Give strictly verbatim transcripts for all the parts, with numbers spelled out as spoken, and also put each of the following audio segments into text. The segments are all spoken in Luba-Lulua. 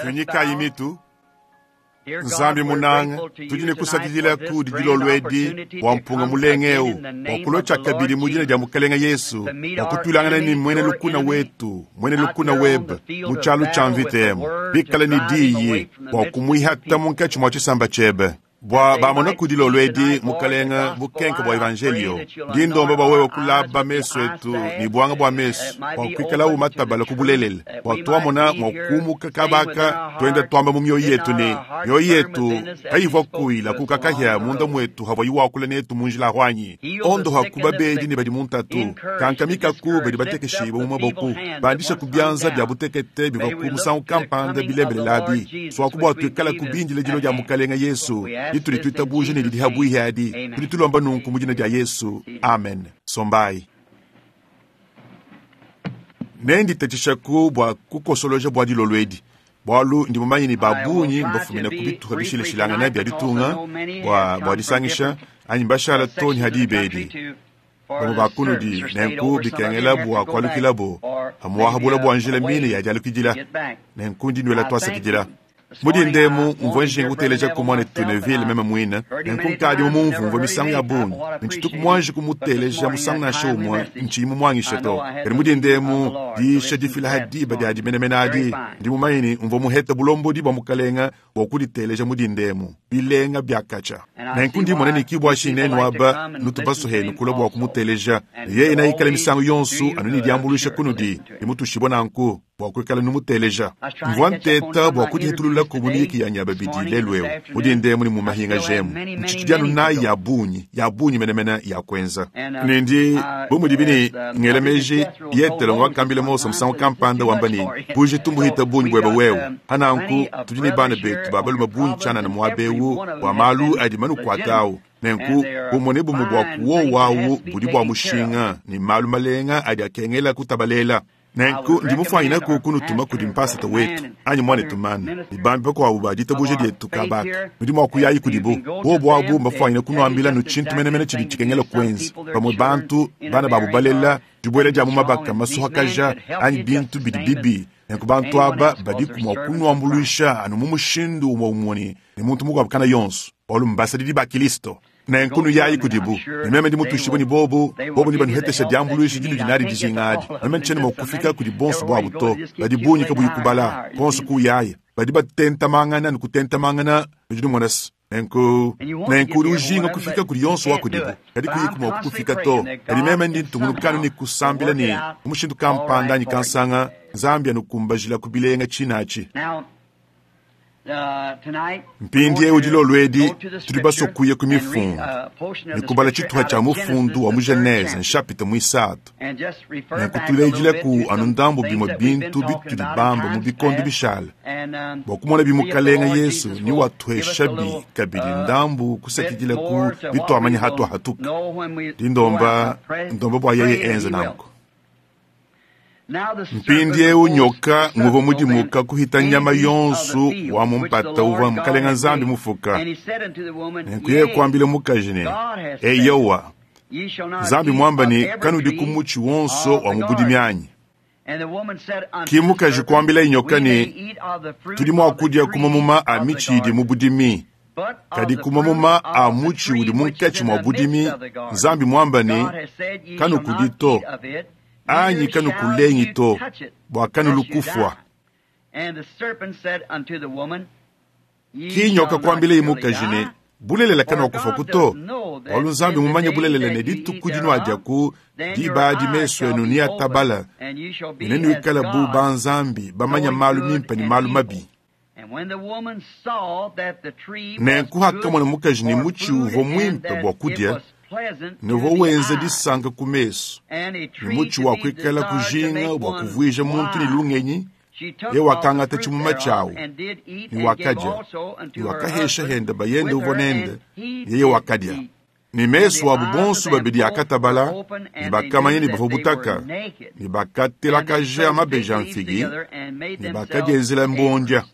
Tuinyikayi mitu. Nzambi munanga, tudi ne kusakidila kudi dilolo edi bua mpunga mulenga eu bua kulua tshiakabidi mu dina dia Mukelenge Yesu, bua kutuilangana ne muena lukuna wetu, muena lukuna webe mu tshialu tshia mvita emu, bikale ne diyi bua kumuihata munkatshi mua tshisamba tshiebe. Bua bamona ku dilolo edi, Mukelenge, bukenke bua evanjelio, ndi ndomba bua wewe kulaba mesu etu ne buanga bua mesu, bua kuikalawu matabala ku bulelela, bua tuamona mua kumuka kabaka tuenda tuamba mu mioyo yetu ne mioyo yetu kayivua kuila kukakahia munda mwetu havua iwakula netu mu njila ahwanyi. Ondoha ku babedi ne badi mu ntatu, kankamikaku badi batekeshibue mu maboku, bandisha ku bianza bia butekete bivua ku musangu kampanda bilembelelabi, suaku bua tuikala kubindila dilo dia Mukelenge Yesu ditudi tuitabuja ne didi habuihi adi. Tudi tulomba nunku mu dina dia Yesu, amen. Sombai. Nenditatshishaku bua kukosoloja bua dilolo edi, bualu ndi mumanye ne ba bungi mbafumine ku bituha bishilashilangana bia ditunga bua bua disangisha anyi mbashala too ne hadiba edi. Bamue ba kunudi nenku bikengela bua kualukilabo amuahabula bua njila mine ya dialukidila, nenku ndi nuela tuasakidila. Mudi ndemu mvua njinga kuteleja ku muanetu Neville meme muine, nenku nkadi mumumvumvua misangu ya bungi, ntshituku muanji kumuteleja musangu nansha umue ntshiyi mumuangishe to. Kadi mudi ndemu diisha difila ha diba diadi menemene adi, ndi mumanye ne mvua muhete bulombodi bua Mukalenga bua kuditeleja mudi ndemu bilenga biakatsha. Nenku ndi mona ne kibua nenu aba nutu basuhenu kula bua kumuteleja, ne yeye naikale misangu yonso anu ne diambuluisha kunudi, ne mutushibua nanku bua kuikala numuteleja. Mvua nteta bua kudihitulula ku muyiki ya nyaba bidi lelu eu mudi ndemu ne mu mahinga jemu ntshitshi anu nayi ya bungi ya bungi menemene ya kuenza. Ne ndi bu mudibi ne ngela meji Yetelo wakambila Mose musangu kampanda wamba ne bujitu mbuhita bungi buebe wewe. Hananku tudi ne bana betu ba balume bungi tshianana muaba eu bua malu adi manukuata awu. Nenku bumue ne bumue bua kuowawu budi bua mushinga ne malu malenga adi akengela kutabalela. Nenku ndi mufuanyinaku kunutuma kudi mpasata wetu anyi muanetu mana ne bambi bakuabu ba ditabuja dietu kabaka. Nudi mua kuyayi kudibu bobu abu mbafuanyine kunuambila nu tshintu menemene tshidi tshikengela kuenza. Bamue bantu bana babu balela dibuela dia mu mabaka masuhakaja anyi bintu bidi bibi, nenku bantu aba badiku mua kunuambuluisha anu mu mushindu umue umue ne muntu mukuabu kana yonso, bualu mbasadidi ba Kilisto. Nenku nuyayi kudibu, ne meme ndi mutushibue ne bobu, bobu ne banuhetesha diambuluisha dinudi nadi dijinga adi. Meme ntshiena mua kufika kudi bonso buabu to, badi bungi kabuyi kubala, bonso kuyaya, badi batentamangana ne kutentamangana nudi numona se. Nenku nenku udi ujinga kufika kudi yonso wa kudibu, kadi kuyiku mua kufika to. Kadi meme ndi ntungunukanu ne kusambila ne mu mushindu kampanda anyi kansanga, Nzambi anukumbajila ku bilenga tshinatshi. Mpindieu dilolo edi tudi basue kuya ku mifundu ne kubala tshituha tshia mufundu wa mu Genese nshapita muisatu, nenku tulejilaku anu ndambu bimue bintu bitudi bamba mu bikondo bishala bua kumona bimukalenga Yesu ni watuheshabi kabidi ndambu kusakidila ku bituamanya hatuahatuka. Ndi ndomba ndomba bua yeye enze nanku. Mpindieu nyoka nguvua mudimuka kuhita nyama yonso wa mu mpata uvua Mukalenga Nzambi mufuka. Nenku yeye kuambila mukaji ne, eyowa, Nzambi muamba ne kanudi ku mutshi wonso wa mu budimi anyi? Ki mukaji kuambila nyoka ne, tudi mua kudia ku mamuma a mitshi idi mu budimi, kadi ku mamuma a mutshi udi munkatshi mua budimi, Nzambi muamba ne kanukudi to, anyi kanukulengi to, bua kanulu kufua. Ki nyoka kuambila mukaji ne, bulelela kanuakufua to, bualu Nzambi mumanye bulelela ne dituku dinuadiaku diba adi mesu enu niatabala, ne nenuikala bu banzambi bamanya malu mimpe ne malu mabi. Nenku hakamona mukaji ne mutshi uvua muimpe bua kudia, ne uvua wenza disanka ku mesu, ne mutshi wa kuikala kujinga bua kuvuija muntu ne lungenyi, ye wakangata tshimuma tshiawu ne wakadia, ne wakahesha hende bayende uvua nende, yeye wakadia. Ne mesu abu bonso babidi akatabala, ne bakamanya ne bavua butaka, ne bakatelakaja mabeji a mfigi, ne bakadienzela mbondia.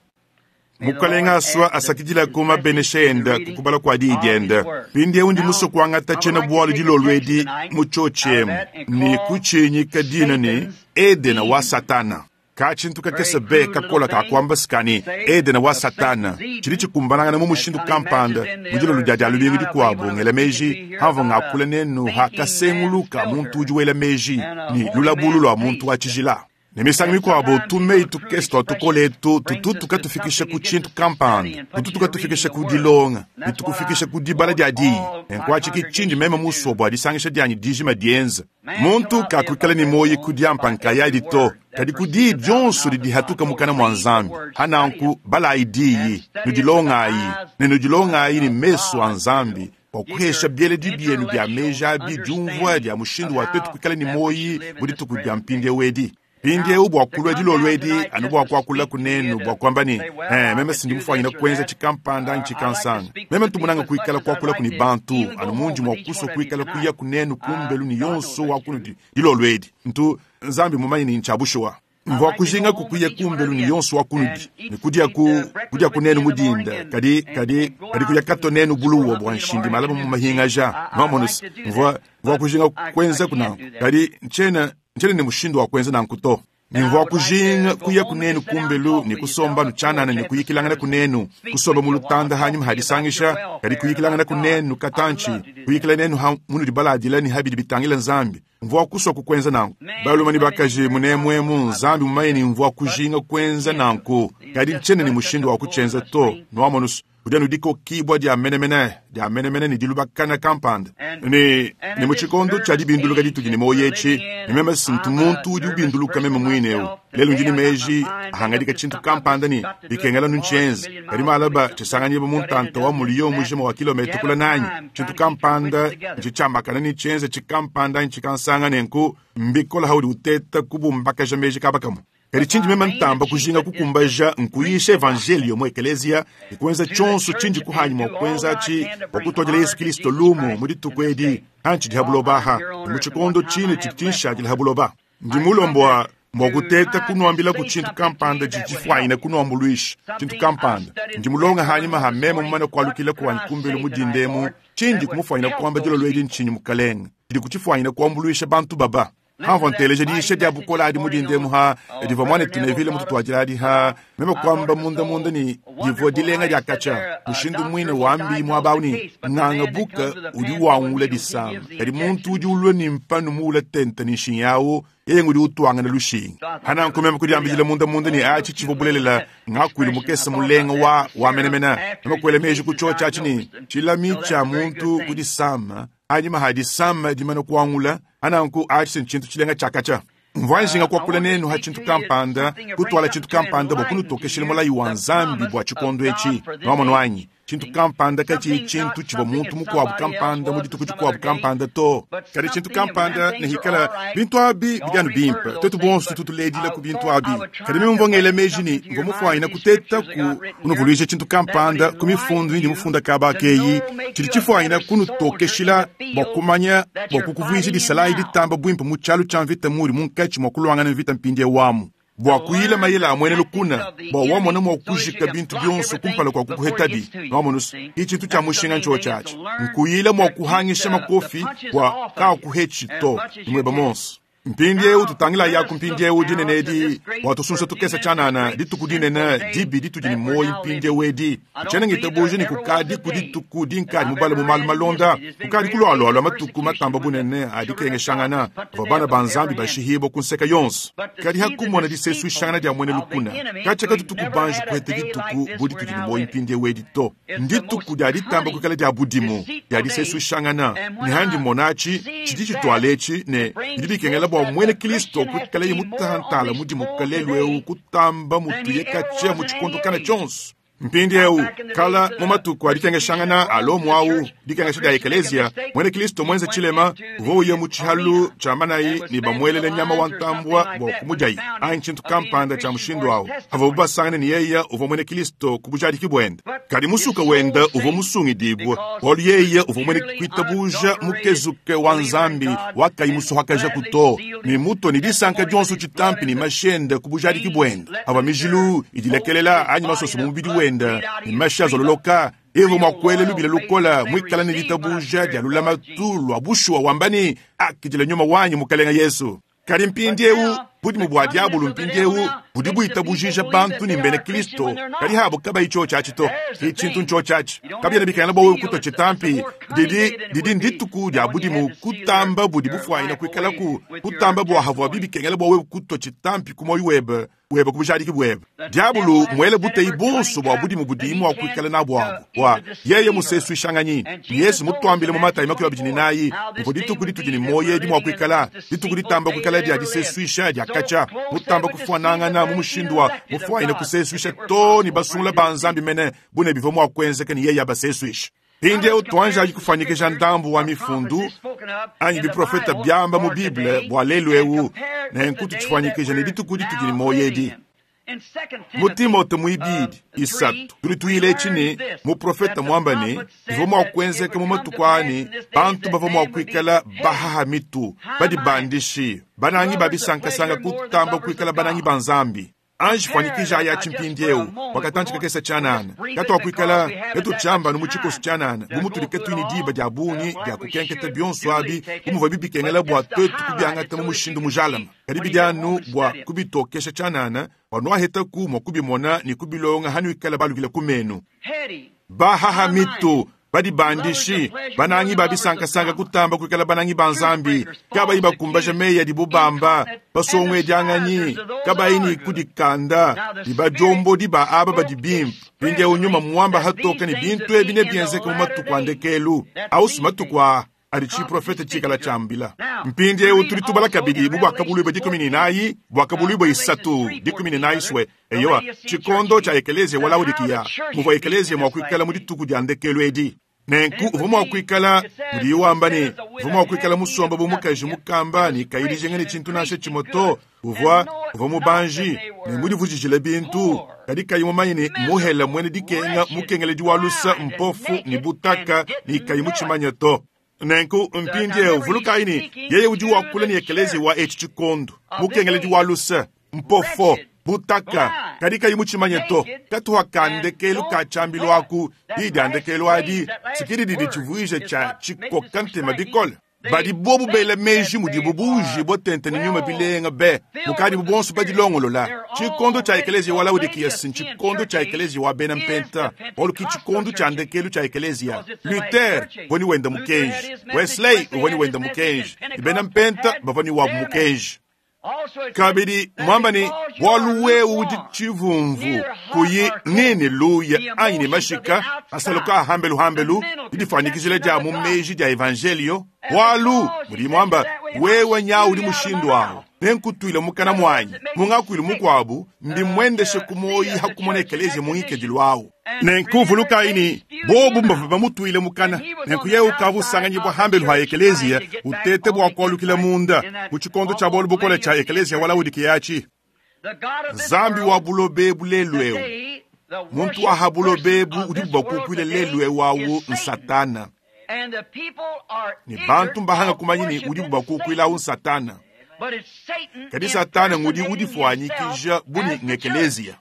Mukalenga asua asakidila ku mabenesha enda kukubala kua diyi diende. Mpindieu ndi musue kuangata tshiena-bualu dilolo edi mu tshiotshi emu ne kutshinyika dina ne Edena wa Satana. Ka tshintu kakese be kakola kakuamba sikani Edena wa Satana tshidi tshikumbanangana mu mushindu kampanda mu dilolo dia dia lubingu dikuabu ngela meji hamva ngakula nenu ha kasenguluka muntu udi wela meji ni lulabulu lua muntu wa tshijila. Ne misangu mikuabo tumei tukese tua tukole etu tutu tukatufikisha ku tshintu kampanda, tutu tukatufikisha ku dilonga, ne tukufikisha ku dibala dia diyi. Nenkuatshiki tshindi meme musua bua disangisha dianyi dijima dienza. Muntu kakuikala ne moyi ku diampa nkayadi to, kadi ku diyi dionso didi hatuka mukana mua Nzambi. Hananku balayi diyi, nudilongayi, ne nudilongayi ne mesu a Nzambi, bua kuhesha bieledi bienu bia meji abi diumvua dia mushindu wa twetu kuikala ne moyi mu dituku dia mpindieu edi. Mpindieu bua kulua dilolo edi anu bua kuakula kunenu bua kuamba ne eh, meme sindi mufwanyina kuenza tshikampanda anyi tshikansanga. Meme ntumunanga kuikala kuakula kuni bantu anu mundi mua kusua kuikala kuya kunenu kumbelu ni yonso wa kunudi dilolo edi. Ntu Nzambi mumanye ni ncha bushuwa. Mvua kujinga kukuya kumbelu ni yonso wa kunudi ni kudia ku kudia kunenu mudinda kadi kadi kadi kuya kato nenu buluwo bua nshindi malaba mu mahingaja mamonus mvua mvua kujinga kuenza kunanku kadi nchena nchene ni mushindu wa kuenza nanku to. Ni mvua kujinga kuya kunenu kumbelu ni kusomba nuchanana ni kuyikilangana kunenu kusomba mulutanda hanyuma hadisangisha kadi kuyikilangana kunenu katanchi kuyikila nenu ha munu dibaladila ni habidi bitangila Nzambi. Mvua kuswa kukwenza nanku baluma ni bakaji munemwemu Nzambi mumaye ni mvua kujinga kwenza nanku kadi nchene ni mushindu wa kuchenza to nwamonus kudia nudiko kibwa dia menemene dia menemene ni dilubakana kampanda ni ni muchikondo cha dibinduluka ditudi ni moyechi ni meme sintu muntu udi ubinduluka meme mwineu lelo ndini meji ahangadika tshintu kampanda ni bikengela nunchenze kadi malaba tshisanganyibwa muntanta wa muliyo mujima wa kilomita kula nanyi tshintu kampanda ntshichambakana ni tshenze tshikampanda ntshikansanga nenku mbikola haudi uteta kubumbakaja meji kabakamu. Kadi tshindi meme ntamba kujinga kukumbaja nkuyisha evangelio mu ekeleziya ikuenza tshonso tshindi kuhanyi mua kuenza tshi bua kutuadila Yesu Kristo lumu mu dituku edi hantshi dihabulobaha mu tshikondo tshine tshidi tshinshadila habuloba. Ndi mulombwa mbwa kuteta kunuambila ku tshintu kampanda tshitshifuanyina kunuambuluisha tshintu kampanda. Ndi mulonga hanyuma ha meme mumane kualukila kuwanyi kumbelu mudindemu tshindi kumufuanyina kuamba dilolo edi ntshinyi mukalenge tshidi kutshifuanyina kuambuluisha bantu baba. Hamva nteleja diisha dia bukola adi mudindemu ha divua mwane tunevile mututuadila adi ha meme kuamba munda munda ni divua dilenga dia kacha mushindu mwine wambi muabau ni nganga buka udi wangula disama kadi muntu udi ulua ni mpanu muula tenta ni nshinyawu yeye ngudi utuangana lushinga. Hananku meme kudiambidila munda munda ni achi tshivua bulelela ngakuilu mukesa mulenga wa wa menemena meme kuela meji kutshotsha atshi ni tshilami tshia muntu kudisama anyuma hadisama dimana kuangula ananku achi tshintu tshilenga tshakacha. Mvua njinga kuakula nenu ha tshintu kampanda kutwala tshintu kampanda bua kunutokeshela mulayi wa Nzambi bua tshikondo etshi nwamonu wanyi tshintu kampanda katshi tshintu tshivua muntu mukuabu kampanda mu dituku dikuabu kampanda to kadi tshintu kampanda ne hikala bintu abi bidi anu bimpe twetu bonso tutuledila ku bintu abi kadi meme mvua ngela meji ni mvua mufuanyina kuteta ku kunuvuluija tshintu kampanda ku mifundu indi mufunda kaba keyi tshidi tshifuanyina kunutokeshila bua kumanya bua kukuvuija disalayi ditamba buimpe mu tshialu tshia mvita muri munkatshi mua kuluangana mvita mpindie wamu bua kuyila mayela amwene lukuna bua wamona mua kujika bintu bionso kumpala kua kukuhetabi nwamonusu itshintu tshia mushinga ntsho tshatshi nkuyila mua kuhangisha makofi bua kakuhetshi to nimweba monso. Mpindieu tutangila yaku mpindieu dinene edi bua tusunsa tukesa tshanana dituku dinene dibi ditudi ni moyi mpindieu edi ntshiena ngitabuja ni kukadi ku dituku dinkadi mubala mu malu malonda kukadi kulualualua matuku matamba bunene adikengeshangana bavua bana ba Nzambi bashihibwa ku nseka yonso kadi hakumona disesuishangana dia mwene lukuna katshia katutuku banji kuheta dituku bu ditudi ni moyi mpindieu edi to ndituku dia ditamba kuikala dia budimu dia disesuishangana ne handi monatshi tshidi tshituala etshi ne bidi bikengela bua mwene Kristo kuikala ye mutantala mudimu kalelu eu kutamba mutuye katshia mu tshikondo kana tshonso. Mpindieu kala mu matuku adikengeshangana alomu au dikengesha dia ekeleziya mwene Kristo mwenze tshilema uvua uye mu tshihalu tshia manayi ni bamuelele nyama wa ntambua bua kumudiayi anyi tshintu kampanda tshia mushindu awu avua basangane ni yeya uvua mwene Kristo ku bujadiki buende kadi musuka wenda uvua musungidibwa bualu yeya uvua mwene kuitabuja mukezuke wa Nzambi wakayi musuhakaja kuto ni muto ni disanka dionso tshitampi ni mashende ku bujadiki buende avua mijilu idilekelela anyi masoso mu mubidi wende ni mashi azololoka evo mwakwele lubila lukola mwikala ni litabuja dia lulamatu lwa bushuwa wambani akidila nyuma wanyi mukalenga Yesu. Kadi mpindieu budimu bua diabulu mpindieu Budi buitabujija bantu ne mbena Kristo kadi habo kabayi tshiotshi to. Ki tshintu ntshiotshi kabiena bikengela bua wewe kutwa tshitampi. Didi didi ndituku dia budimu kutamba budi bufuanyina kuikalaku kutamba bua havua bibikengela bua wewe kutwa tshitampi ku moyo webe webe ku bujadiki bwebe. Diabulu mwele buteyi bonso bua budimu budi mua kuikala nabu abu bua yeye musesuishanganyi. Yesu mutuambile mu Matayi makumi abidi ne nayi muvua dituku ditudi ne moyo edi mua kuikala dituku ditamba kuikala dia disesuisha dia katshia mutamba kufuanangana mu mushindu wa mufuanyina kusesuisha to ne basungula ba Nzambi mene bune bivua mua kuenzeka ne yeye abasesuisha. Mpindieu tuanjayi kufanyikisha ndambu wa mifundu anyi biprofeta byamba mu Bible bua lelu eu nenku tutshifanyikisha ne dituku ditudi ne moyo edi. Mu Timote muibidi isatu tudi tuyila etshi ne muprofeta muamba ne bivua mua kuenzeka mu matuku ani bantu bavua mua kuikala bahaha mitu badibandishi banangi ba bisankasanga kutamba kuikala banangi ba Nzambi. Anji fanyikija aya tshimpindieu wakatantshi kakesa tshianana katuakuikala katutshiamba mu tshikoso tshianana bu mutudi katuyi diba dia bungi dia kukenketa bionso abi bu muvua bibikengela bua tuetu kubiangata mu mushindu mujalama kadi bidi anu bua kubitokesha tshianana bua nuahetaku mua kubimona ne kubilonga hanuikala balukile ku menu. Bahaha mitu badibandishi banangi ba bisankasanga kutamba kuikala banangi ba Nzambi kabayi bakumbaja meyi adibo bamba basongwedianganyi kabayi ne kudikanda dibadiombo ba aba badi bimpe. Mpindieu nyuma muamba hatoka ne bintu ebi nebienzeke mu matuku a ndekelu ausi matuku a adi tshiprofeta tshikala tshiambila. Mpindieu tudi tubala kabidi mu buakabuluibua dikumi ne nayi buakabuluibua isatu dikumi ne nayi swe eyowa tshikondo tshia ekelezia wa Laodikiya muvua ekelezia mua kuikala mu dituku dia ndekelu edi. Nenku uvua mua kuikala mudiye wamba ne uvua mua kuikala musomba bu mukaji mukamba ne kayi dijinga ne tshintu nansha tshimue to. Uvua uvua mubanji ne mudivujijile bintu kadi kayi mumanye ne muhela muena dikenga mukengeledi wa lusa mpofu ne butaka ne kayi mutshimanye to. Nenku mpindieu vulukayi ne yeye udi wakula ne ekelezia wa etshi tshikondo mukengeledi wa lusa mpofo butaka kadi kayi mutshimanye to. Katuha ka ndekelu ka tshiambilu aku diyi dia ndekelu adi tshikidi didi tshivuija tshia tshikoka ntema bikole. Badi bobu bela meji mudibu buji botente ne nyuma bilenga be mukadibu bonso badilongolola. Tshikondo tshia ekelezia wa Laodikiya si tshikondo tshia ekelezia wa bena mpenta bualu ki tshikondo tshia ndekelu tshia ekelezia. Luther uvua ne wenda mukenji, Wesley uvua ne wenda mukenji, ne bena mpenta bavua ne wabu mukenji. Kabidi mwamba ne bualu wewe udi tshivumvu kuyi nini luya anyi ne mashika asaluka ahambelu hambelu didifanyikijila dia mu meji dia evangelio bualu mudi mwamba wewe nyawu udi mushindu awo nenkutuile mukana mwanyi mungakuile mukuabu mbimwendeshe kumoyi hakumona ekelezia mungikedilu awo. Nenku vulukayi ne bobu mbavua bamutuile mukana nenku yewe ukavua usanganyibua hambelu ha ekelezia utete bua kualukila munda mu tshikondo tshia bualu bukole tshia ekelezia wa Laodikiya atshi. Nzambi wa bulobebu lelu eu muntu wa ha bulobebu udi bubakukuile lelu eu awu nsatana ne bantu mbahanga kumanya ne udi bubakukuila awu nsatana kadi satana ngudi udifuanyikija buni ngekelezia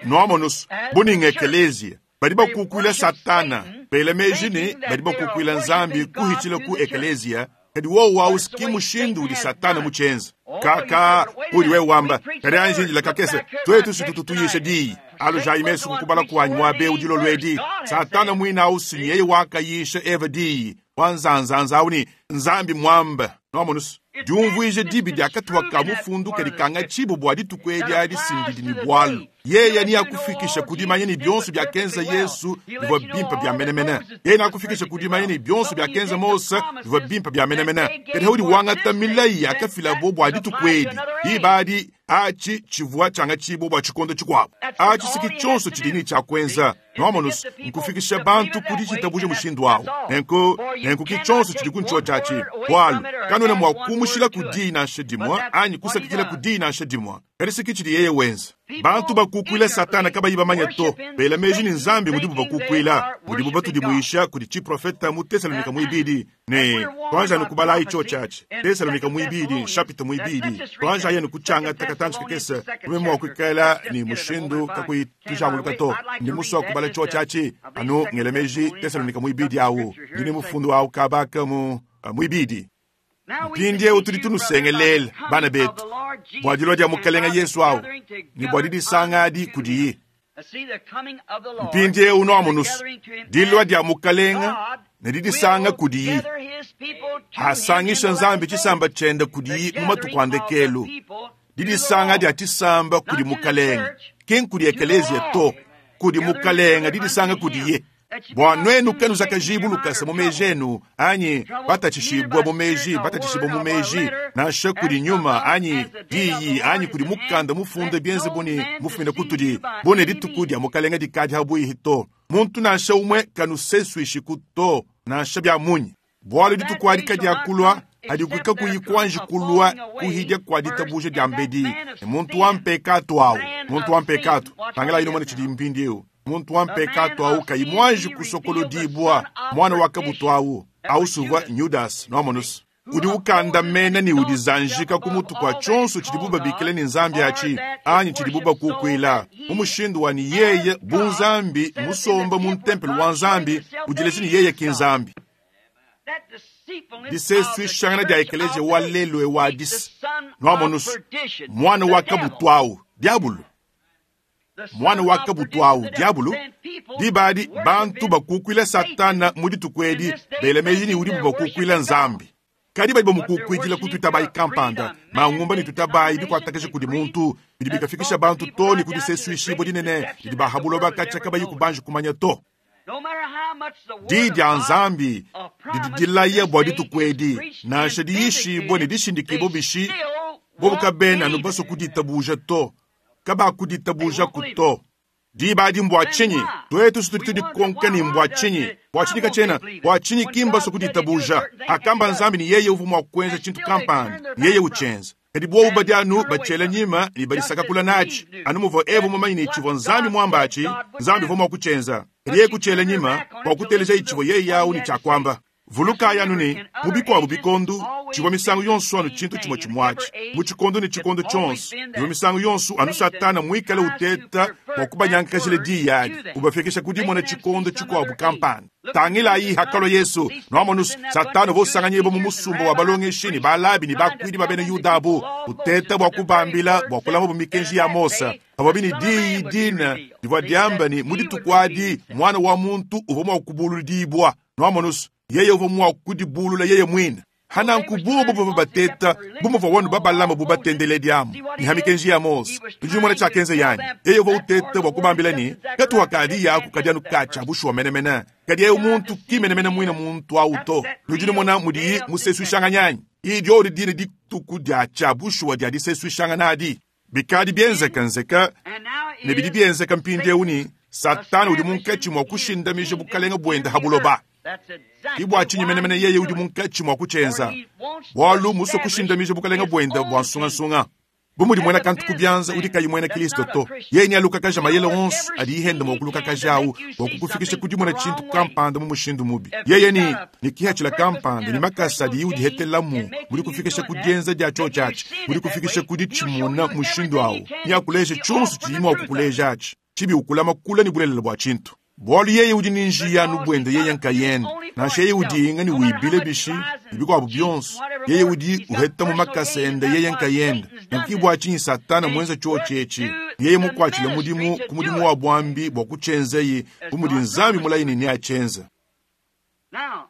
noamonusu buni ngekelezia badi bakukuila satana bela meji ne badi bakukuila Nzambi kuhitshila ku ekelezia kadi wowu awu ki mushindu udi satana mutshienza. Kaka udi wewe wamba kadi anjinjila kakese twetu sitututuyisha diyi alujayi mesu kukubala kuanyi muabe udilolo edi satana mwina awu sinyeye wakayisha eva diyi wanzanzanza awu ni Nzambi mwamba noamonusu diumvuije dibi diakatuha ka mufundu kadi kanga tshibu bua dituku edi adi sindidi ne bualu yeye ni akufikisha kudimanya ne bionso byakenza Yesu bivua bimpe bya menemene yeye nakufikisha kudimanya ne bionso byakenza Mose bivua bimpe bya menemene kadi haudi wangata milayi yakafilabo bua dituku edi diba adi achi tshivua tshanga tshibu bua tshikondo tshikuabu achi siki tshionso tshidi ne tshia kuenza noamonusu nkufikisha bantu kudi tshitabuja mushindu awu nenku nenku ki tshionso tshidi ku tshiatshi bualu kanwena mua kumushila ku diyi nansha dimue anyi kusakidila ku diyi nansha dimue kadi siki tshidi yeye wenza. Bantu bakukuila satana kabayi bamanya to bela meji ni Nzambi mudibu bakukuila mudibu batudimuisha kudi tshiprofeta mu Tesalonika muibidi ne twanja nukubalayi tsho tshiatshi Tesalonika muibidi nshapita muibidi twanja yenu kutshianga takatanji kakese kume mua kuikala ni mushindu kakuyi tujanguluka to ndi musua kubala tsho tshiatshi anu ngela meji Tesalonika muibidi awu ndini mufundu awu kabaka mu muibidi. Mpindieu tudi tunusengelela bana betu Bua dilua dia Mukelenge Yesu awu ne bua didisanga adi kudiye. Mpindieu nuamonusu dilua dia Mukelenge ne didisanga kudiye. Asangisha Nzambi tshisamba tshiende kudiye mu matuku a ndekelu. Didisanga dia tshisamba kudi Mukelenge, ki nkudi ekelezia to, kudi Mukelenge didisanga kudiye. Bua nuenu kanuzakajibu lukasa mu meji enu, anyi batatshishibua mu meji, batatshishibua mu meji, nansha kudi nyuma, anyi diyi, anyi kudi mukanda mufunde bienze buni mufumine kutudi, bune dituku dia Mukelenge dikadi habuihi to. Muntu nansha umwe kanusesuishiku to, nansha bia munyi. Bualu dituku adi kadiakulua, adi kakuyi kuanji kulua kuhidia kua ditabuja dia mbedi. Ne muntu wa mpekatu awu, muntu wa mpekatu, tangila ino mwana tshidi mpindieu. Muntu wa mpekatu awu kayi mwanji kusokolodibwa, mwana wa kabutu awu, awu suvwa Judas noamonus. Udi ukanda mena ni udizanjika ku mutu kwa tshonso tshidibu babikila ni Nzambi achi, anyi tshidibu bakukuila. Mu mushindu wa ni yeye bu Nzambi musomba mu ntempelo wa Nzambi, udilezi ni yeye ki Nzambi. Disesuishangana dia ekelezia wa lelo e wa disi. Noamonus, mwana wa kabutu awu, diabulu. Mwana wa kabutu awu, diabulu. Dibadi bantu bakukuila Satana mu dituku edi, bela meji ni udibu bakukuila Nzambi. Kadi badi bamukukuidila kututabayi kampanda, mangumba ni tutabayi bikuatakasha kudi muntu, bidi bikafikisha bantu to ni kudisesuishibwa dinene, bidi bahabuloba kacha kabayi kubanji kumanya to. Di dia Nzambi didi dilaya bua dituku edi, nansha diyishibwa ne dishindikibwa bishi, bobu kabena anu basue kuditabuja to, kabakuditabuja ku to. Diba adi mbua tshinyi? Tuetu tudi tudikonka ni mbua tshinyi? Bua tshinyi kachena? Bua tshinyi kimba so kuditabuja? Akamba Nzambi ni yeye uvu mua kuenza tshintu kampanda, ni yeye uchenza. Kadi bobu badi anu bachela nyima ni badisakakula nachi. Anu muvua Eva mumanyi ni tshivua Nzambi muambachi, Nzambi uvua mua kuchenza. Kadi yeye kuchela nyima bua kuteleja itshivua yeye yawu ni tshiakuamba. Vuluka yanu ni mu bikuabu bikondu tshivua misangu yonso anu tshintu tshimue tshimuatshi. Mu tshikondo ne tshikondo tshionso tshivua misangu yonso anu Satana muikale uteta bua kubanyankajila diyi adi, ubafikisha ku dimona tshikondo tshikuabu kampanda. Tangilayi hakalua Yesu, noamonus Satana uvua usanganyibwa mu musumba wa balongeshi ni balabi ni bakuidi ba bena Yuda abu, uteta bua kubambila bua kulama mikenji ya Mose. Pavua ni diyi dina divua diamba ni mu dituku adi mwana wa muntu uvua mua kubuludibwa. Noamonus yeye uvua mua kudibulula yeye mwine. Hana nkububu buvua bateta, bumuvua wanu babalama bu batendele diamu. Ni hamikenji ya Mose. Tujimona tshiakenza yani. Yeye uvua uteta bua kubambila ni, katu wakadi yaku kadi anu kacha bushuwa menemene. Kadi yeye muntu ki menemene mwine muntu awu to. Nujimona mudiyi musesuishanga Iyi odi dine dituku dia tshia bushuwa dia disesuishanga nadi. Bikadi bienzeka nzeka, ne bidi bienzeka mpindieu ni Satana udi munkatshi mua kushindamija bukalenga buende habuloba. Ibwa tshinyi menemene yeye udi munkatshi mua kutshenza. Bualu musue kushindamija bukalenga buende bua nsungansunga. Bu mudi muena kantu kubyanza udi kayi muena Kristo to. Yeye ni alukakaja mayele onso adi ihenda mua kulukakaja awu bua kukufikisha ku dimona tshintu kampanda mu mushindu mubi. Yeye ni ni kihatshila kampanda ni makasa adi udihetelamu mudi kufikisha ku dienza dia tshotshatshi, mudi kufikisha ku ditshimona mushindu awu. Ni akuleja tshionso tshidi mua kukuleja atshi. Tshibi ukulama kula ni bulelela bua tshintu. Bualu yeye udi ni njiya anu buende yeye nkayende. Nansha yeye udi inga ni wibile bishi, ibikuabu bionso. Yeye udi uheta mu makasa ende yeye nkayende. Nkibwa tshinyi Satana mwenza tshotshetshi. Yeye mukwatshile mudimu ku mudimu wa bwambi bua kutshenzeyi, bu mudi Nzambi mulayini ni achenza.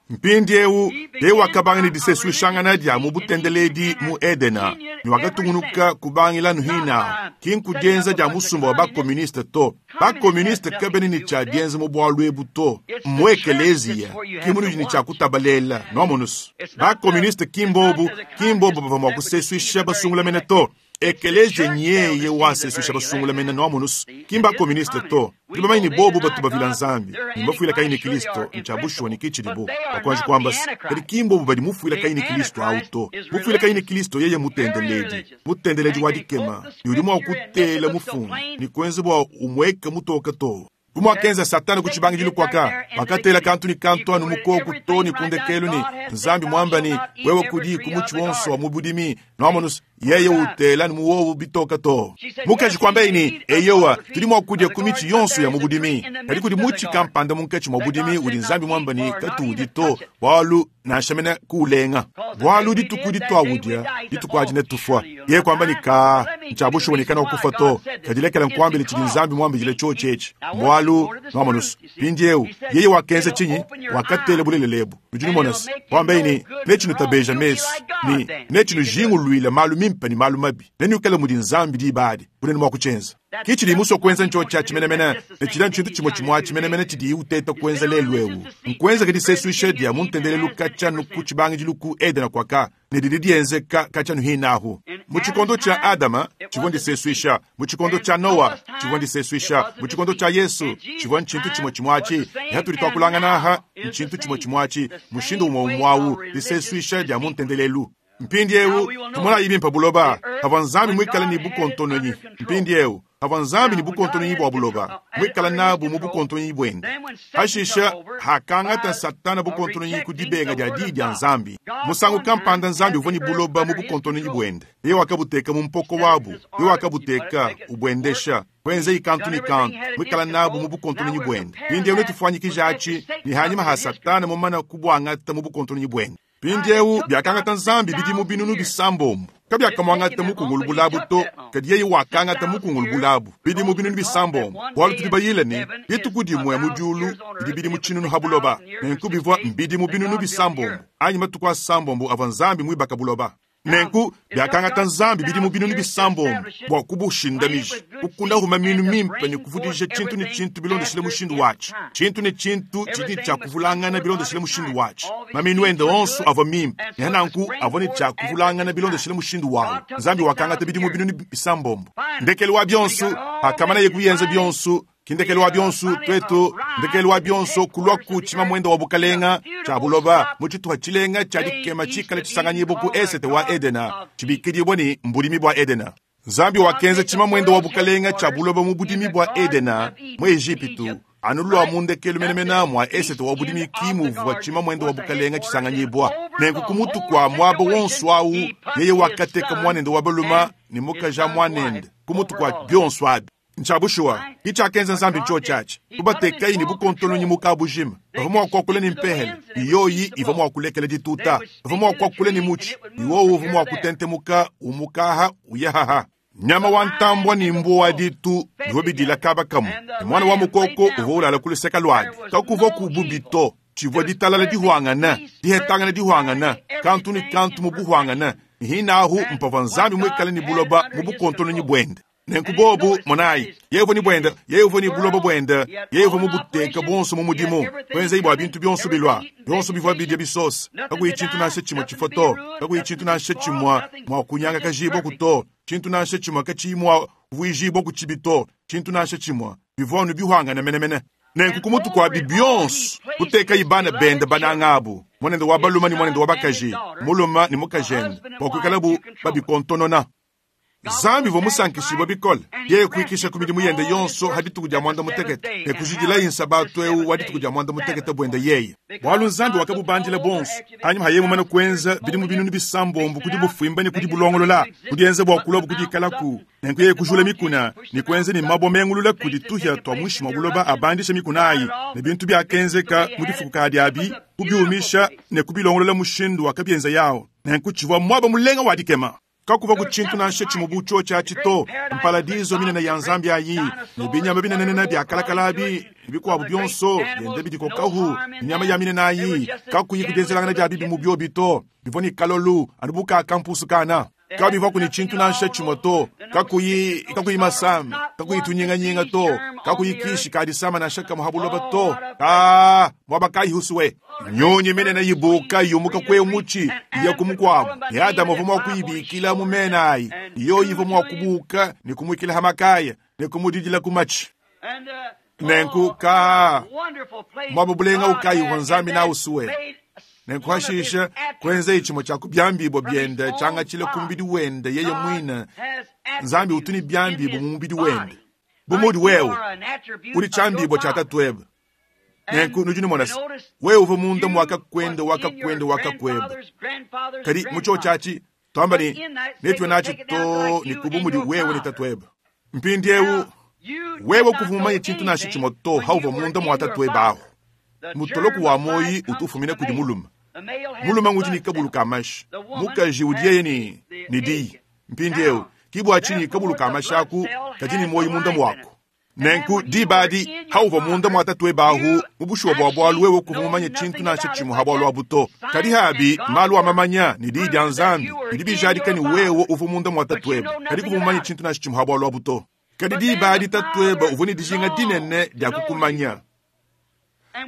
Mpindieu yeye wakabanga ni disesuishangana dia mu butendeledi mu Edena, ni wakatungunuka kubangila nuhina, ki nkudienza dia musumba wa bakomuniste to. Bakomuniste kabene ni tshia dienza mu bualu ebu to. Mu ekelezia, ki munu ni tshia kutabalela, noamonus. Bakomuniste ki mbobu, ki mbobu bavua mua kusesuisha basungula mene to. Ekelezia nyeye wasesuisha basungula mene noamonus. Ki mbakomuniste to. Tubamanyi ni bobu batu bavila Nzambi, ni mbafuila kayi ni Kristo, nchabushwa ni kichilibu. Bakwanji kwamba kadi kimbobu badi mufuila kayi ni Kristo au to. Mufuila kayi ni Kristo yeye mutendeledi. Mutendeledi wa dikema, ni udi mua kutela mufungu, ni kwenza bua umweka mutoka to. Kumwakenza Satana kuchibangijilu kwaka, wakatela kantu ni kantu anu mukoku to ni kundekelu ni Nzambi mwamba ni wewe kudi kumuchi wonso wa mubudimi, noamonus yeye utela ni muwovu bitoka to. Mukaji kwamba ini eyowa tudi mwa kudya kumichi yonso ya mubudimi. Kadi kudi muchi kampanda munkatshi mwa budimi udi Nzambi mwamba ni katuudi to, bualu nansha mene kuulenga. Bualu dituku ditwawudya, dituku adi netufwa. Yeye kuamba ne ka ntshia bushuwa ne kana kufa to. Kadi lekela nkuambile tshidi Nzambi muambidile tshiotshi etshi. Mbualu nwamonusu. Mpindieu yeye wakenza tshinyi? Wakatela bulelela ebu. Nudi numona se wambaye ne netshinutabeja mesu ne netshinujinguluila malu mimpe ne malu mabi. Nenuikale mudi Nzambi diba adi. Bunene mua kutshienza. Ki tshidi musue kuenza ntshiotshi atshi menemene, ne tshidi tshintu tshimue tshimue atshi menemene tshidiye uteta kuenza lelu eu. Nkuenzeka disesuisha dia mu ntendelelu katshia ku tshibangidilu ku Edena kuaka, ne didi dienzeka katshia hinahu. Mu tshikondo tshia Adama tshivua ndisesuisha, mu tshikondo tshia Noa tshivua ndisesuisha, mu tshikondo tshia Yesu tshivua ntshintu tshimue tshimue atshi. Ne hatudi tuakulangana aha ntshintu tshimue tshimue atshi, mushindu umue umue awu, disesuisha dia mu ntendelelu. Mpindieu tumonayi bimpe buloba pavua Nzambi muikale ne bukontononyi. Mpindieu pavua Nzambi ne bukontononyi bua buloba, muikale nabu mu bukontononyi buende. Pashishe hakangata Satana bukontononyi ku dibenga dia diyi dia Nzambi. Musangu kampanda Nzambi uvua ne buloba mu bukontononyi buende. Yeye wakabuteka mu mpoko wabu, yeye wakabuteka ubuendesha kuenza kantu ne kantu, muikale nabu mu bukontononyi buende. Mpindieu netufuanyikije atshi ne hanyima ha Satana mumana kubuangata mu bukontononyi buende. Mpindieu biakangata Nzambi bidimu binunu bisambombo. Kabiakamwangata mukungulu bulabu to, kadi yeye wakangata mukungulu bulabu bidimu binunu bisambombo. Bualu tudi bayile ne dituku dimue mu diulu didi bidimu tshinunu ha buloba. Nenku bivua mbidimu binunu bisambombo anyi matuku asambombo avua Nzambi muibaka buloba. Nenku biakangata Nzambi bidimu binunu bisambombo bua kubushindamija, kukunda huma minu mimpe ne kuvudija tshintu ne tshintu bilondeshile mushindu watshi. Tshintu ne tshintu tshidi tshia kuvulangana bilondeshile mushindu watshi. Maminu ende onso avua mimpe, ne nanku avua ne tshia kuvulangana bilondeshile mushindu wawu. Nzambi wakangata bidimu binunu bisambombo. Ndekelu wa bionso akamana kuyenza bionso, kindekelu wa bionso twetu, ndekelu wa bionso kulwa ku tshimamwenda wa bukalenga tshia buloba mu tshituha tshilenga tshia dikema tshikale tshisanganyibo ku esete wa Edena, tshibikidibwa ne mbudimi bua Edena. Nzambi wakenza tshimamwenda wa bukalenga tshia buloba mu budimi bua Edena mu Ejipitu, anu lwa mu ndekelu menemene mwa esete wa budimi kimuvua tshimamwenda wa bukalenga tshisanganyibwa. Nenku ku mutu kwa mwaba wonso awu yeye wakateka mwanende wa baluma ne mukaja mwanende ku mutu kwa bionso abi. Ntshia itshia Nzambi ntshiotshi atshi. Kubatekayi ne bukontononyi mu kabujima. Bavua mua kuakula ne mpehele, yoyi ivua mua kulekela dituta. Bavua mua kuakula ne mutshi, iwowu uvua mua kutentemuka umukaha uyahaha. Nyama wa ntambua ne mbua wa ditu bivua bidila kaba kamue. Ne mwana wa mukoko uvua ulala ku luseke luabi. Kakuvua ku bubi to, tshivua ditalala dihuangana, dihetangana dihuangana, kantu ne kantu mu buhuangana. Hinahu mpavua Nzambi muikale ne buloba mu bukontononyi buende. Nenku bobu monayi, yeye uvua ne buende, yeye uvua ne buloba buende, yeye uvua mubuteka bonso mu mudimu, kuenza bua bintu bionso bilwa, bionso bivua bidia bisosa, kakuyi tshintu nansha tshimue tshifua to, kakuyi tshintu nansha tshimue mua kunyanga kajibwa to, tshintu nansha tshimue katshiyi mua kuvuijibwa ku tshibi to, tshintu nansha tshimue bivua anu bihuangana menemene. Nenku ku mutu kwa bionso kuteka ibana bende banangabu, mwanende wa baluma ne mwanende wa bakaji, muluma ne mukajende, bua kuikalabu babikontonona. Nzambi uvua musankishibwe bikole, yeye kuikisha ku midimu yende yonso ha dituku dia mwanda mutekete, ne kujidilayi nsabatu eu wa dituku dia mwanda mutekete buende yeye. Bualu Nzambi wakabubandila bonso, hanyuma haye mumane kuenza bidimu binunu bisambombo kudi bufimba ne kudi bulongolola, kudienza bua kulwa kudikalaku, nenku yeye kujula mikuna, ne kuenza ne mabwa mengulula kudi tuhia twa muinshi mwa buloba abandisha mikuna ayi, ne bintu biakenzeka mu difuku abi, kubiumisha ne kubilongolola mushindu wakabienza yawo. Nenku tshivua mwaba mulenga wa dikema. Kakuva ku tshintu nansha tshimue bu tshiotshi atshi to, mparadizo minene ya Nzambi ayi, ne binyama binenene biakalakala abi, ne bikuabu bionso biende bidikokahu, nyama ya minene ayi, kakuyi kudienzelangana dia bibi mu biobi to, bivua ne kalolu anu bu kakampusu kana. Kabivua ku ne tshintu nansha tshimue to, kakuyi kakuyi masama, kakuyi tunyinganyinga to, kakuyi kishi kadisama nansha kamue ha buloba to. Ah, mwaba kayi husuwe. Nyonyi minene yibuka yumuka kwe mutshi iya kumukwabo. Ne Adamu uvua mua kuyibikila mu mena ayi. Yoyi ivua mua kubuka ne kumwikila ha makaya ne kumudidila ku matshi. Nenku ka mwaba bulenga ukayi uvua Nzambi na usuwe. Nenku hashisha kuenza tshimue tshia kubyambibwa byende tshangatshile ku mubidi wende yeye mwine. Nzambi utu ne byambibwa mu mubidi wende. Bu mudi wewe udi tshyambibwa tshia tatuebe. Nenku nudi numona se wewe uvua munda mwakakwenda wakakwenda wakakweba. Kadi mu tshiotshi atshi twamba ne netue natshi to ne kubu mudi wewe ne tatuebe. Mpindieu wewe kuvua mumanye tshintu nansha tshimue to hauvua munda mwa tatuebe ahu. Mutoloku wa moyi utu ufumina kudi mulume. Mulume ngudi ne kabulu ka mashi, mukaji udi yeye ne ne diyi. Mpindieu ke bua tshinyi kabulu ka mashi aku kadi ne muoyo munda muaku. Nenku diba adi hauvua munda mua tatuebe ahu mu bushuwa bua bualu wewe kuvua mumanye tshintu nansha tshimue ha bualu abu to. Kadi habi malu a mamanya ne diyi dia Nzambi bidi bijadika ne wewe uvua munda mua tatuebe, kadi kuvua mumanye tshintu nansha tshimue ha bualu abu to. Kadi diba adi tatuebe uvua ne dijinga dinene dia kukumanya.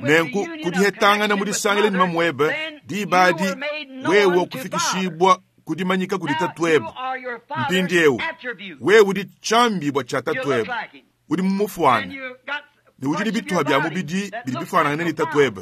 Nenku kudihetangana mu disangila ne mamuebe, diba adi wewe kufikishibua kudimanyika kudi tatuebe. Mpindieu wewe udi tshiambibua tshia tatuebe, udi mumufuana ne udi ne bituha bia mubidi bidi bifuanangane ne tatuebe.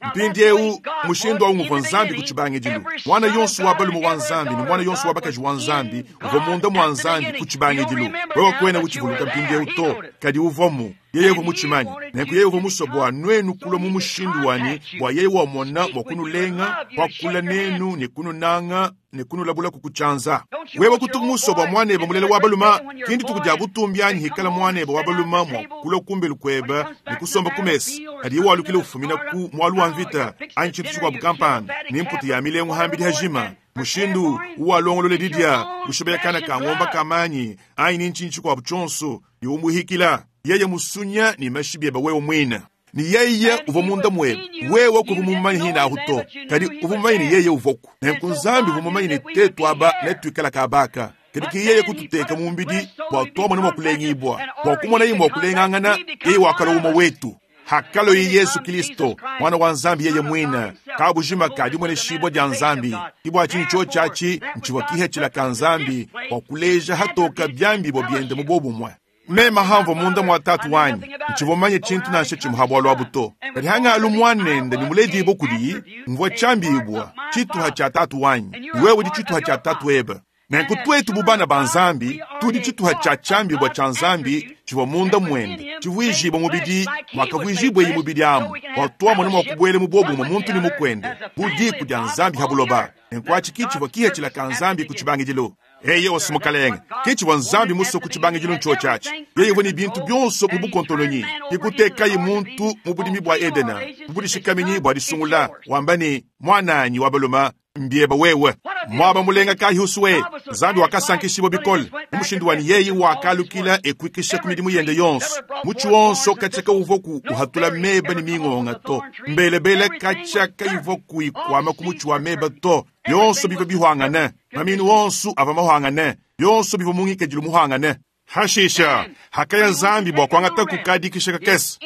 Mpindieu mushindu awu nguvua Nzambi ku tshibangidilu. Mwana yonso wa balume wa Nzambi ne mwana yonso wa bakaji wa Nzambi uvua munda mua Nzambi ku tshibangidilu. Wewe kuena utshivuluka mpindieu to, kadi uvuamu. Yeye uvua mutshimanye. Nenku yeye uvua musue bua nuenu kulua mu mushindu wanyi, bua yeye wamona mua kunulenga, kuakula nenu ne kununanga ne kunulabula ku kutshianza. Wewe kutu musue bua muanebe mulela wa balume, ki ndituku dia butumbi anyi hikala muanebe wa balume mua kulua kumbelu kuebe ne kusomba ku mesa, kadi yeye walukila ufumina ku mualu wa mvita anyi tshintu tshikuabu kampanda ne mputu ya milengu hambidi hajima. Mushindu uwalongolola didia ushibeya kana ka ngomba kamanyi anyi ni ntshinyi tshikuabu tshionso ne umuhikila yeye musunya ne mashi biebe wewe muine. Ni yeye uvua munda muebe, wewe kuvua mumanye hina ahu to, kadi uvua mumanye ne yeye uvoku. Nenku Nzambi uvua mumanye ne tetu aba netuikala kabaka, kadi ki yeye kututeka mu mbidi bua tuamone mua kulengibua, bua kumona ye mua kulengangana, yeye wakalua umue wetu. Hakalo ye Yesu Kristo mwana wa Nzambi yeye mwine kabujima kadi mwene shibwa dia Nzambi. Kibwa tshinyi cho tshiatshi ntshivua kihetshila ka Nzambi bua kuleja hatoka byambi bua biende mu bobumwe. Mema hamvua munda mua tatu wanyi ntshivua mumanye tshintu nansha tshimue ha bualu abu to, kadi hangalu muanende ne muledibue kudiyi mvua tshiambibua tshituha tshia tatu wanyi, wewe udi tshituha tshia tatu ebe. Nenku twetu bu bana ba Nzambi tudi tshituha tshia tshiambibua tshia Nzambi tshivua munda muende tshivuijibua mubidi mwakavuijibua mubidi amu bua tuamone mua kubuela mu bobumwe muntu ne mukuende bu diku dia Nzambi ha buloba. Nenku atshi ki tshivua kihetshila ka Nzambi ku tshibangidilu. Eye osimukalenge ki tshivua Nzambi musue ku tshibangidilu ntshio tshiatshi. Yeye uvua ne bintu bionso mu bukontolonyi, kikutekaye muntu mu budimi bua Edena mu budishikaminyi bua disungula, wamba ne mwananyi wa balume mbieba wewe. Mwaba mulenga kayi usue Nzambi wakasankishibwa bikole mu mushindu wani yeye wakalukila ekuikisha ku midimu yende yonso. Mutshi wonso katshiaka uvua ku uhatula meba ne mingonga to, mbelebele katshiaka ivua kuikwama ku mutshi wa meba to. Yonso bivua bihwangane, maminu wonso ava mahwangane, yonso bivua mungikadilu muhwangane. Hashisha hakaya Nzambi bua kuangata kukadikisha kakese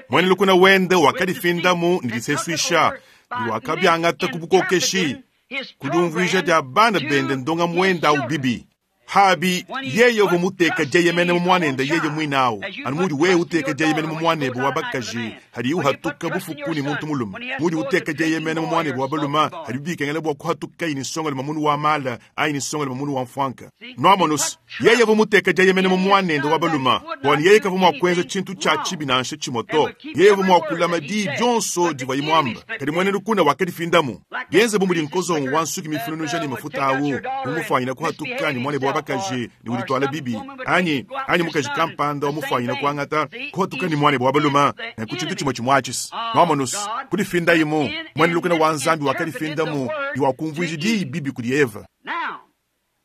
mwene lukuna wende wakadifindamu ne disesuisha wakabyangata ku bukokeshi kudiumvuija dia bana bende ndonga mwenda au bibi. Habi yeye uvua muteka dieyemene mu mwanende yeye mwinawu anu mudi wewe uteka dieyemene mu mwanebe wa bakaji hadi uhatuka bufuku ni muntu mulume, mudi uteka dieyemene mu mwanebe wa balume hadi bikengela bua kuhatuka ini nsonga luma munu wa mala anyi nsonga luma munu wa mfwanka. Nwamonusi yeye uvua muteka dieyemene mu mwanende wa balume bwani yeye kavua mua kuenza tshintu tshia tshibi nansha tshimue to. Yeye uvua mua kulama diyi dionso divua imwamba, kadi mwene lukuna wakadifindamu bienze bu mudi nkozongo wa nsuki mifununuja ne mafuta awu mumufwanyina kuhatuka ni mwanebe wa bakaji ni ulitwala bibi anyi anyi mukaji kampanda wamufwanyina kuangata kuhatuka ni mwanebe wa balume nenku tshintu tshimue tshimwatshisa. Nwamonusi kudifindayimu mwene lukuna wa Nzambi wakadifindamu ni wakumvuija diyi bibi kudi Eva.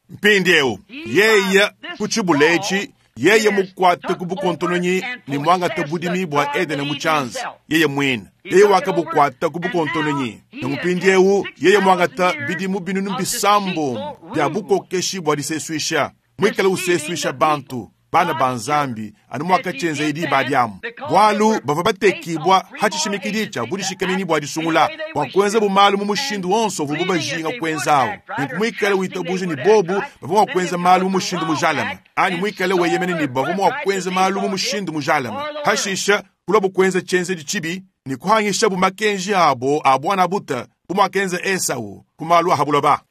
Mpindieu yeye kutshibula etshi yeye mukwate ku bukontononyi ne mwangata budimi bua Edene mu tshianza yeye mwine. Yeye wakabukwata ku bukontononyi ne mpindieu yeye mwangata bidimu binunu bisambo bia bukokeshi bua disesuisha mwikale usesuisha bantu bana ba Nzambi anu mwakatshyenza idi badiamu bwalu bavua batekibwa hatshishimikidi tshia budishikamini bua disungula bua kuenza bumalu mu mushindu wonso uvubu bajinga kuenzawo. Nenku mwikale witabuja ni bobu bavua mua kuenza malu mu mushindu mujalame anyi mwikale weyemene ni bavua mua kuenza malu mu mushindu mujalame. Hashisha kulua bukuenza tshienzedi tshibi ni kuhangisha bumakenji abo a bwana buta bumwakenza Esau ku malu a habuloba.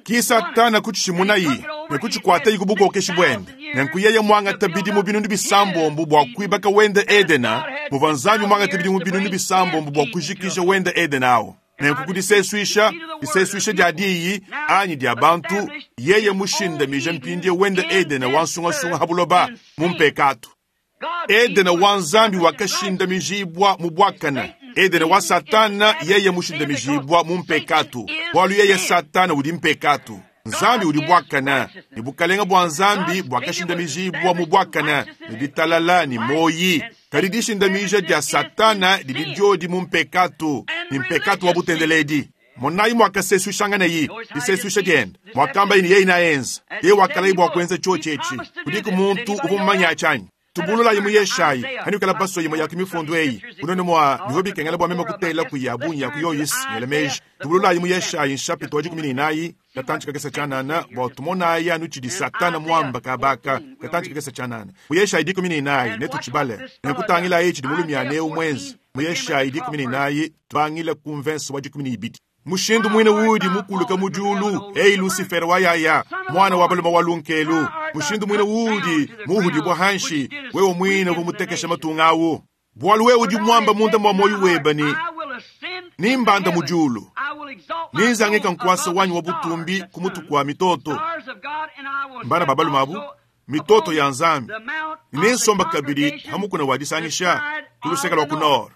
Ki Satana kutshimunayi ne kutshikwatayi ku bukokeshi bwende. Nenku yeye mwangata bidimu binunu bisambombo bua kuibaka wende Edena, muvua Nzambi mwangata bidimu binunu bisambombo bua kujikija wende Edena awo. Nenku kudisesuisha, disesuisha dia diyi anyi dia bantu, yeye mushindamija mpindie wende Edena wa nsungasunga habuloba mu mpekatu. Edena wa Nzambi wakashindamijibwa mu bwakana. Edena wa Satana yeye mushindamijibwa mu mpekatu, bwalu yeye Satana udi mpekatu. Nzambi udi bwakana ne bukalenga bwa Nzambi bwakashindamijibwa mu bwakana ne ditalala ne moyi. Kadi dishindamija dia Satana didi diodi mu mpekatu ne mpekatu wa butendeledi. Monayi mwakasesuishanganayi disesuisha diende mwakambayi ne yeye naenza yeye wakalayi bwa kuenza chochi echi kudiku muntu uvua mumanya achanyi tubululayi mu Yeshayi hanikala baso yimwe ya kimifundu eyi unone mwa bivua bikengela bwa meme kutela kuya bunyi ya kuyoyisi ngela meji tubululayi mu Yeshayi nshapita wa dikumi ne inayi katanchi kakesa chanana bwa tumonayi anu tshidi Satana mwamba kabaka katanchi kakesa chanana mu Yeshayi dikumi ne inayi netuchibale nekutangilayi tshidi mulumiane umwenzi mu Yeshayi dikumi ne inayi tubangile ku mvenso wa dikumi ne ibidi mushindu mwine udi mukuluka mudiulu ei Lucifer wayaya mwana wa baluma wa lunkelu mushindu mwine udi muhudibwa hanshi wewe mwine uvumutekesha matunga awu bwalu wewe udi mwamba munda mwa moyo weba ni nimbanda mudiulu ninzangika nkwasa wanyu wa butumbi kumutu kwa mitoto mbana babaluma abu mitoto ya Nzambi ninsomba kabili hamukuna wadisangisha kuluseka lwa kunoro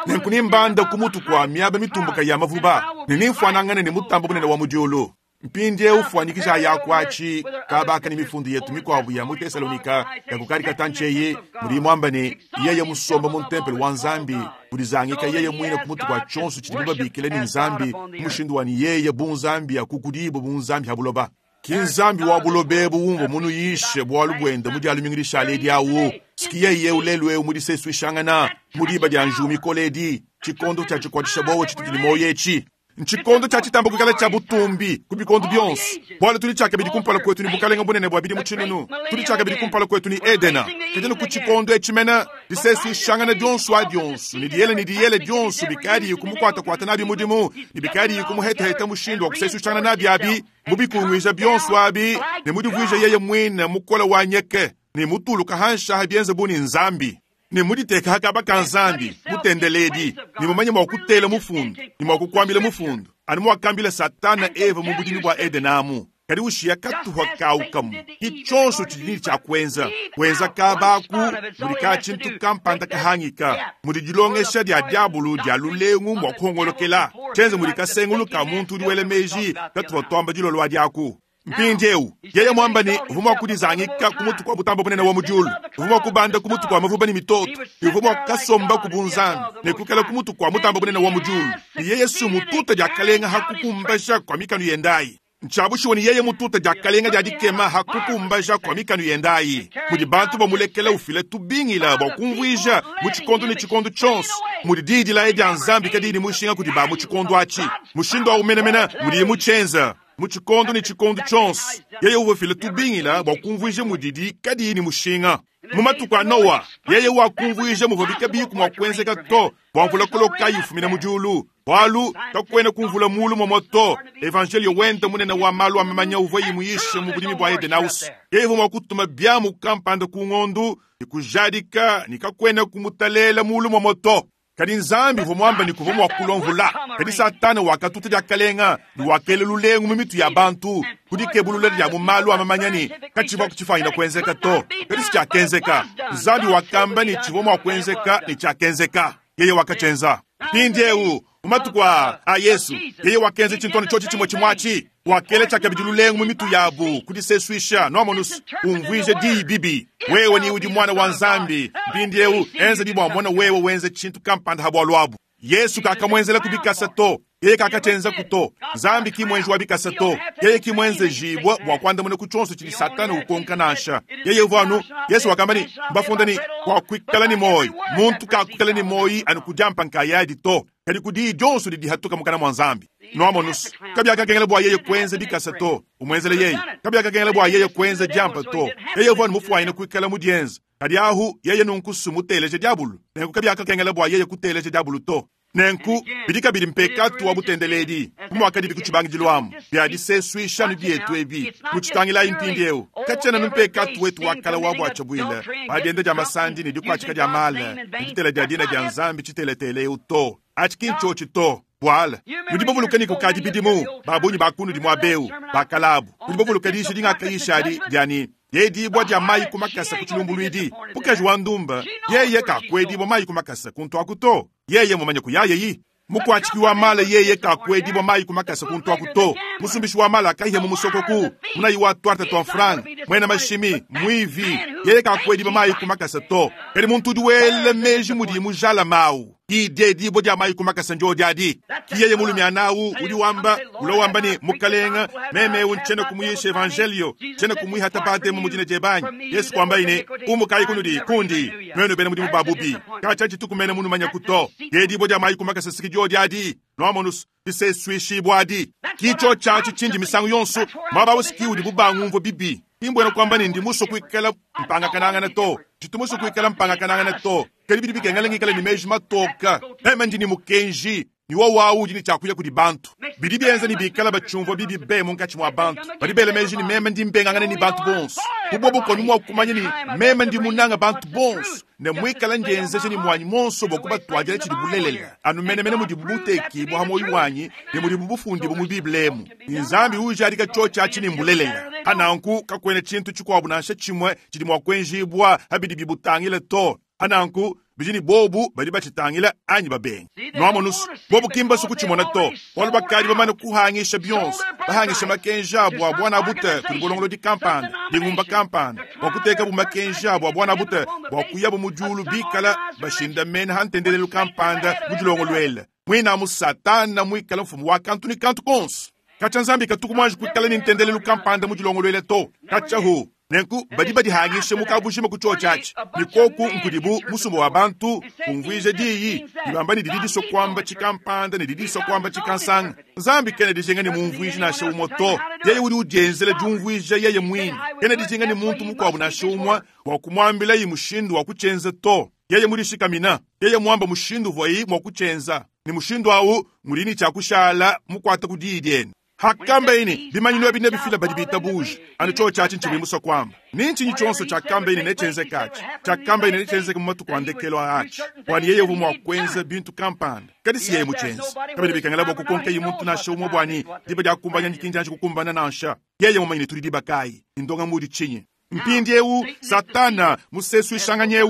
nenkunimbanda kumutu kwa miaba mitumbuka ya mavuba nininfwanangane ne mutambo munene wa mudiulu mpindie ufuanyikisha yakwachi kabaka ni mifundu yetu mikwabu ya mu Tesalonika ya kukarika tancheye muli mwamba ne yeye musomba mu ntempelo wa Nzambi ulizangika yeye mwine kumutu kwa chonso chidi mubabikile ni Nzambi mushindu wani yeye bunzambi ya kukudibo bunzambi habuloba kinzambi wa bulobebu wumva munu yishe bwalu bwenda mudi alumingilisha aledi awu sikiye ye ulelwe mudi sesuishangana mudiba dia njumi koledi chikondo cha chikwatisha bowo chitutili moyechi nchikondo cha chitambo kukala cha butumbi kubikondo byonse bwalo tuli chakabidi kumpala kwetu ni bukalenga bunene bwa bidi muchinunu tuli chakabidi kumpala kwetu ni Edena ketene ku chikondo echimena disesuishangana dyonso a dyonso ni diyele ni diyele dyonso bikadi kumukwata kwata nabi mudimu ni bikadi kumuhetaheta mushindu wa kusesuishangana nabi abi mubikungwija byonso abi ne mudivwija yeye mwine mukola wa nyeke ne mutuluka hansha byenze buni Nzambi ne muditeka hakaba ka Nzambi mutendeledi ni mumanye mwa kutela mufundu ni mwa kukwambila mufundu ani mwakambila Satana Eva mu budimi bwa Edenamu kadi ushiya katuhwa kaukamu kichonso chidini cha kwenza kwenza kabaku muli ka chintu kampanda kahangika muli dilongesha dia diabulu dia lulengu mwa kuhongolokela chenze muli kasengulu ka muntu udi wele meji katuhwa twamba dilolwa diaku mpindiewu yeye mwamba ni uvuma kudizangika kumutu kwa butambo bunene wa mudiulu uvuma kubanda kumutu kwa mavuba ni mitoto uvuma kasomba kubunzambi nekukala kumutu kwa mutambo bunene wa mudiulu ni yeye sumututa diakalenga hakukumbasha kwa mikanu yendayi nchabushiwe ni yeye mututa diakalenga dia dikema hakukumbasha kwa mikanu yendayi mudi bantu bamulekela ufile tubingila bwa kumvwija mu chikondo ni chikondo chonso mudi didilaye dia Nzambi kadidi mushinga kudi ba mu chikondo achi mushindu aumenemena mudi muchenza mu chikondo ni chikondo chonso yeye uvefile tubingila bwa kumvwija mudidi kadi ni mushinga mu matuku a Noa yeye wakumvwija muvua biku mwa kuenzeka to bwa mvula koloka yifumina mudiulu bwalu takwena kumvula mulu momoto evangelio wenda munene wa malu amamanya uvua yimuyishe mu budimi bwa Edenausi yeye uvua kutuma byamu kampanda ku ng'ondu nikujadika nikakwena kumutalela mulu momoto kadi Nzambi uvua mwamba ni kuvua mwa kulomvula kadi Satana wakatuta diakalenga ni wakele lulengu mu mitu ya bantu kudikebulula dia mu malu amamanya kachivua kuchifanyina kuenzeka to kadi si chakenzeka Nzambi wakamba ni chivua mwa kuenzeka ni chakenzeka yeye wakachenza pindiewu mumatuku a Yesu yeye wakenze chintono chochi chimwe chimwachi wakele chakabidi lulengu mu mitu yabu kudisesuisha nomonusu umvwije diyi bibi wewe ni udi mwana wa Nzambi mpindiewu enze bibwa mwana wewe wenze chintu kampanda habwalwabu Yesu kakamwenzela kubikasa to yeye kakachenza kuto Nzambi kimwenji wa bikasa to yeye kimwenze jibwa bwa kwandamuna kuchonso chili Satana ukonka nasha yeye uvanu Yesu wakamba ni mbafunda ni kwa kwikala ni moyi muntu kakwikala ni moyi anukujampa nkayadi to kadi kudi jonso didi hatuka mukana mwa Nzambi noamonusu kabya kakengela bwa yeye kwenza bikasa to umwenzele yeye kabya kakengela bwa yeye kwenza jampa to yeye uvanu mufwayina kwikala mudienza kadi ahu yeye nunkusu muteleje diabulu nenku kabya kakengela bwa yeye kuteleje diabulu to nenku bidi kabidi mpekatu wa butendeledi kumwakadi bikuchibangidilwamu bya disesuisha byetu ebi muchitangilayi mpindiewu kachena numpekatu wetu wakala wa bwacha bwile badienda dia masandi ni dikwachika dia mala ni ditela dia dina dia Nzambi chiteletele to achikinchochi to bwala nudi bavuluka kukadi bidimu babunyi bakunu di mwabeu bakalabu nudi bavuluka dishi dingakayishadi diani yedibwa dia mayi kumakasa kuchilumbulwidi pukaji wa ndumba yeye kakwedibwa mayi kumakasa kuntu akuto yeye mumanye kuyayeyi Mukwatshiki wa mala yeye kakwedibwa mayi kumakasa kuntwaku to. Musumbishi wa mala akaihe mu musokoku. Munayi wa twarta twa mfranga. Mwena mashimi, mwivi, yeye kakwedibwa mayi kumakasa to. Kadi muntu udi wela meji mudi mujala mawu. Idye dibo dia mayi kumakasa njo diadi. Kiyeye mulumi anawu udi wamba, ulo wamba ni mukalenga, meme unchena kumuyisha evangelio, chena kumwiha tabate mu mudina jebanyi. Yesu kwamba ine, umukayi kunudi kundi, nwenu bena mudimu babubi. Kacha chitukumene munu manya kuto. Ye dibo dia mayi kumakasa sikijo diadi. Noamonus, diseswishibwadi. Kicho chachi chinji misangu yonso, mwaba usiki udi bubangu bibi. Imbwena kwamba ni ndimuso kuikala mpanga kanangana to. Chitumuso kuikala mpanga kanangana to. Kali bidi bikengela ngikala ni meji matoka. Ema ndini mukenji. Ni wawu udi ni chakuya kudi bantu. Bidi bienza ni bikala bachumvwa bibi be munkachi mwa bantu. Badi bele meji ni meme ndi mbengangana ni bantu bonso. Kubobo konu mwa kumanya ni meme ndi munanga bantu bonso. Ne mwikala njenzeje ni mwanyi monso bwa kubatwajira chidi bulelela. Anu mene mene mudi bubuteki bwa hamoyi wanyi ne mudi bubufundi bu mu Bible emu. Nzambi uja alika chocha chini mbulelela. Hananku kakwene chintu chikwabu nansha chimwe chidi mwa kwenjibwa habidi bibutangile to. Hananku bijini bobu badi bachitangila anyi babenga. Noamonus bobu kimba suku chimona to. Walu bakali bamane kuhangisha Beyonce. Bahangisha makenja bwa bwana bute kuli di kampanda, dingumba kampanda. Wakuteka bu makenja bwa bwana bute bwa kuyabu mujulu bikala bashinda mena hantendelelu kampanda mujulongo lwele. Mwina mu satana mwikala mfumu wa kantu ni kantu konso. Kacha nzambi katuku mwanji kuikala ni ntendelelu kampanda mujulongo lwele to. Kacha hu. Nenku badi badi hangishe mukabushima kuchochachi. Nikoku nkudibu musumbo wa bantu kumvwije diyi. Nibamba ni dididiso kwamba chikampanda ni didiso kwamba chikansanga. Nzambi kene dijenga ni mumvwije na shaumo to. Yeye uri ujenzele jumvwije yeye mwini. Kene dijenga ni muntu mukwabu na shaumwa wa kumwambila yi mushindu wa kuchenza to. Yeye murishikamina. Yeye mwamba mushindu voyi mwa kuchenza. Ni mushindu awu murini chakushala mukwata kudidieni. Hakamba ini bimanyino bine bifila badi bitabuji anu cho chachi nchimi muso kwamba ninchi nyichonso cha kamba ini nechenze kachi cha kamba ini nechenze kumatu kwandekelo achi kwani yeye humu akwenza bintu kampanda kadi si yeye muchenze kabili bikangela boko konke yimuntu na shomo bwani diba dia kumbanya nyikinja kukumbana nansha yeye mumanyine tuli diba kai indonga mudi chinyi mpindi ewu satana musesu ishanganye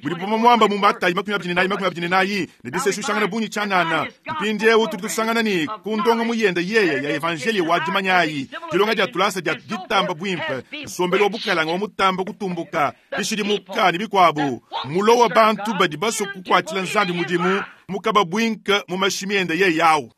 buli boma mwamba mumata makumi abiri nayi makumi abiri nayi ne disesu ishangana bunyi chanana mpindi ewu tuli tusangana ni kundonga muyenda yeye ya evangeli wajimanyayi dilonga dia tulasa dia ditamba bwimpe nsombelo obukalanga omutamba kutumbuka bishilimuka ni bikwabu mulowa bantu badi baso kukwatila nzambi mudimu mukaba bwinka mu mashimi enda yeye yawu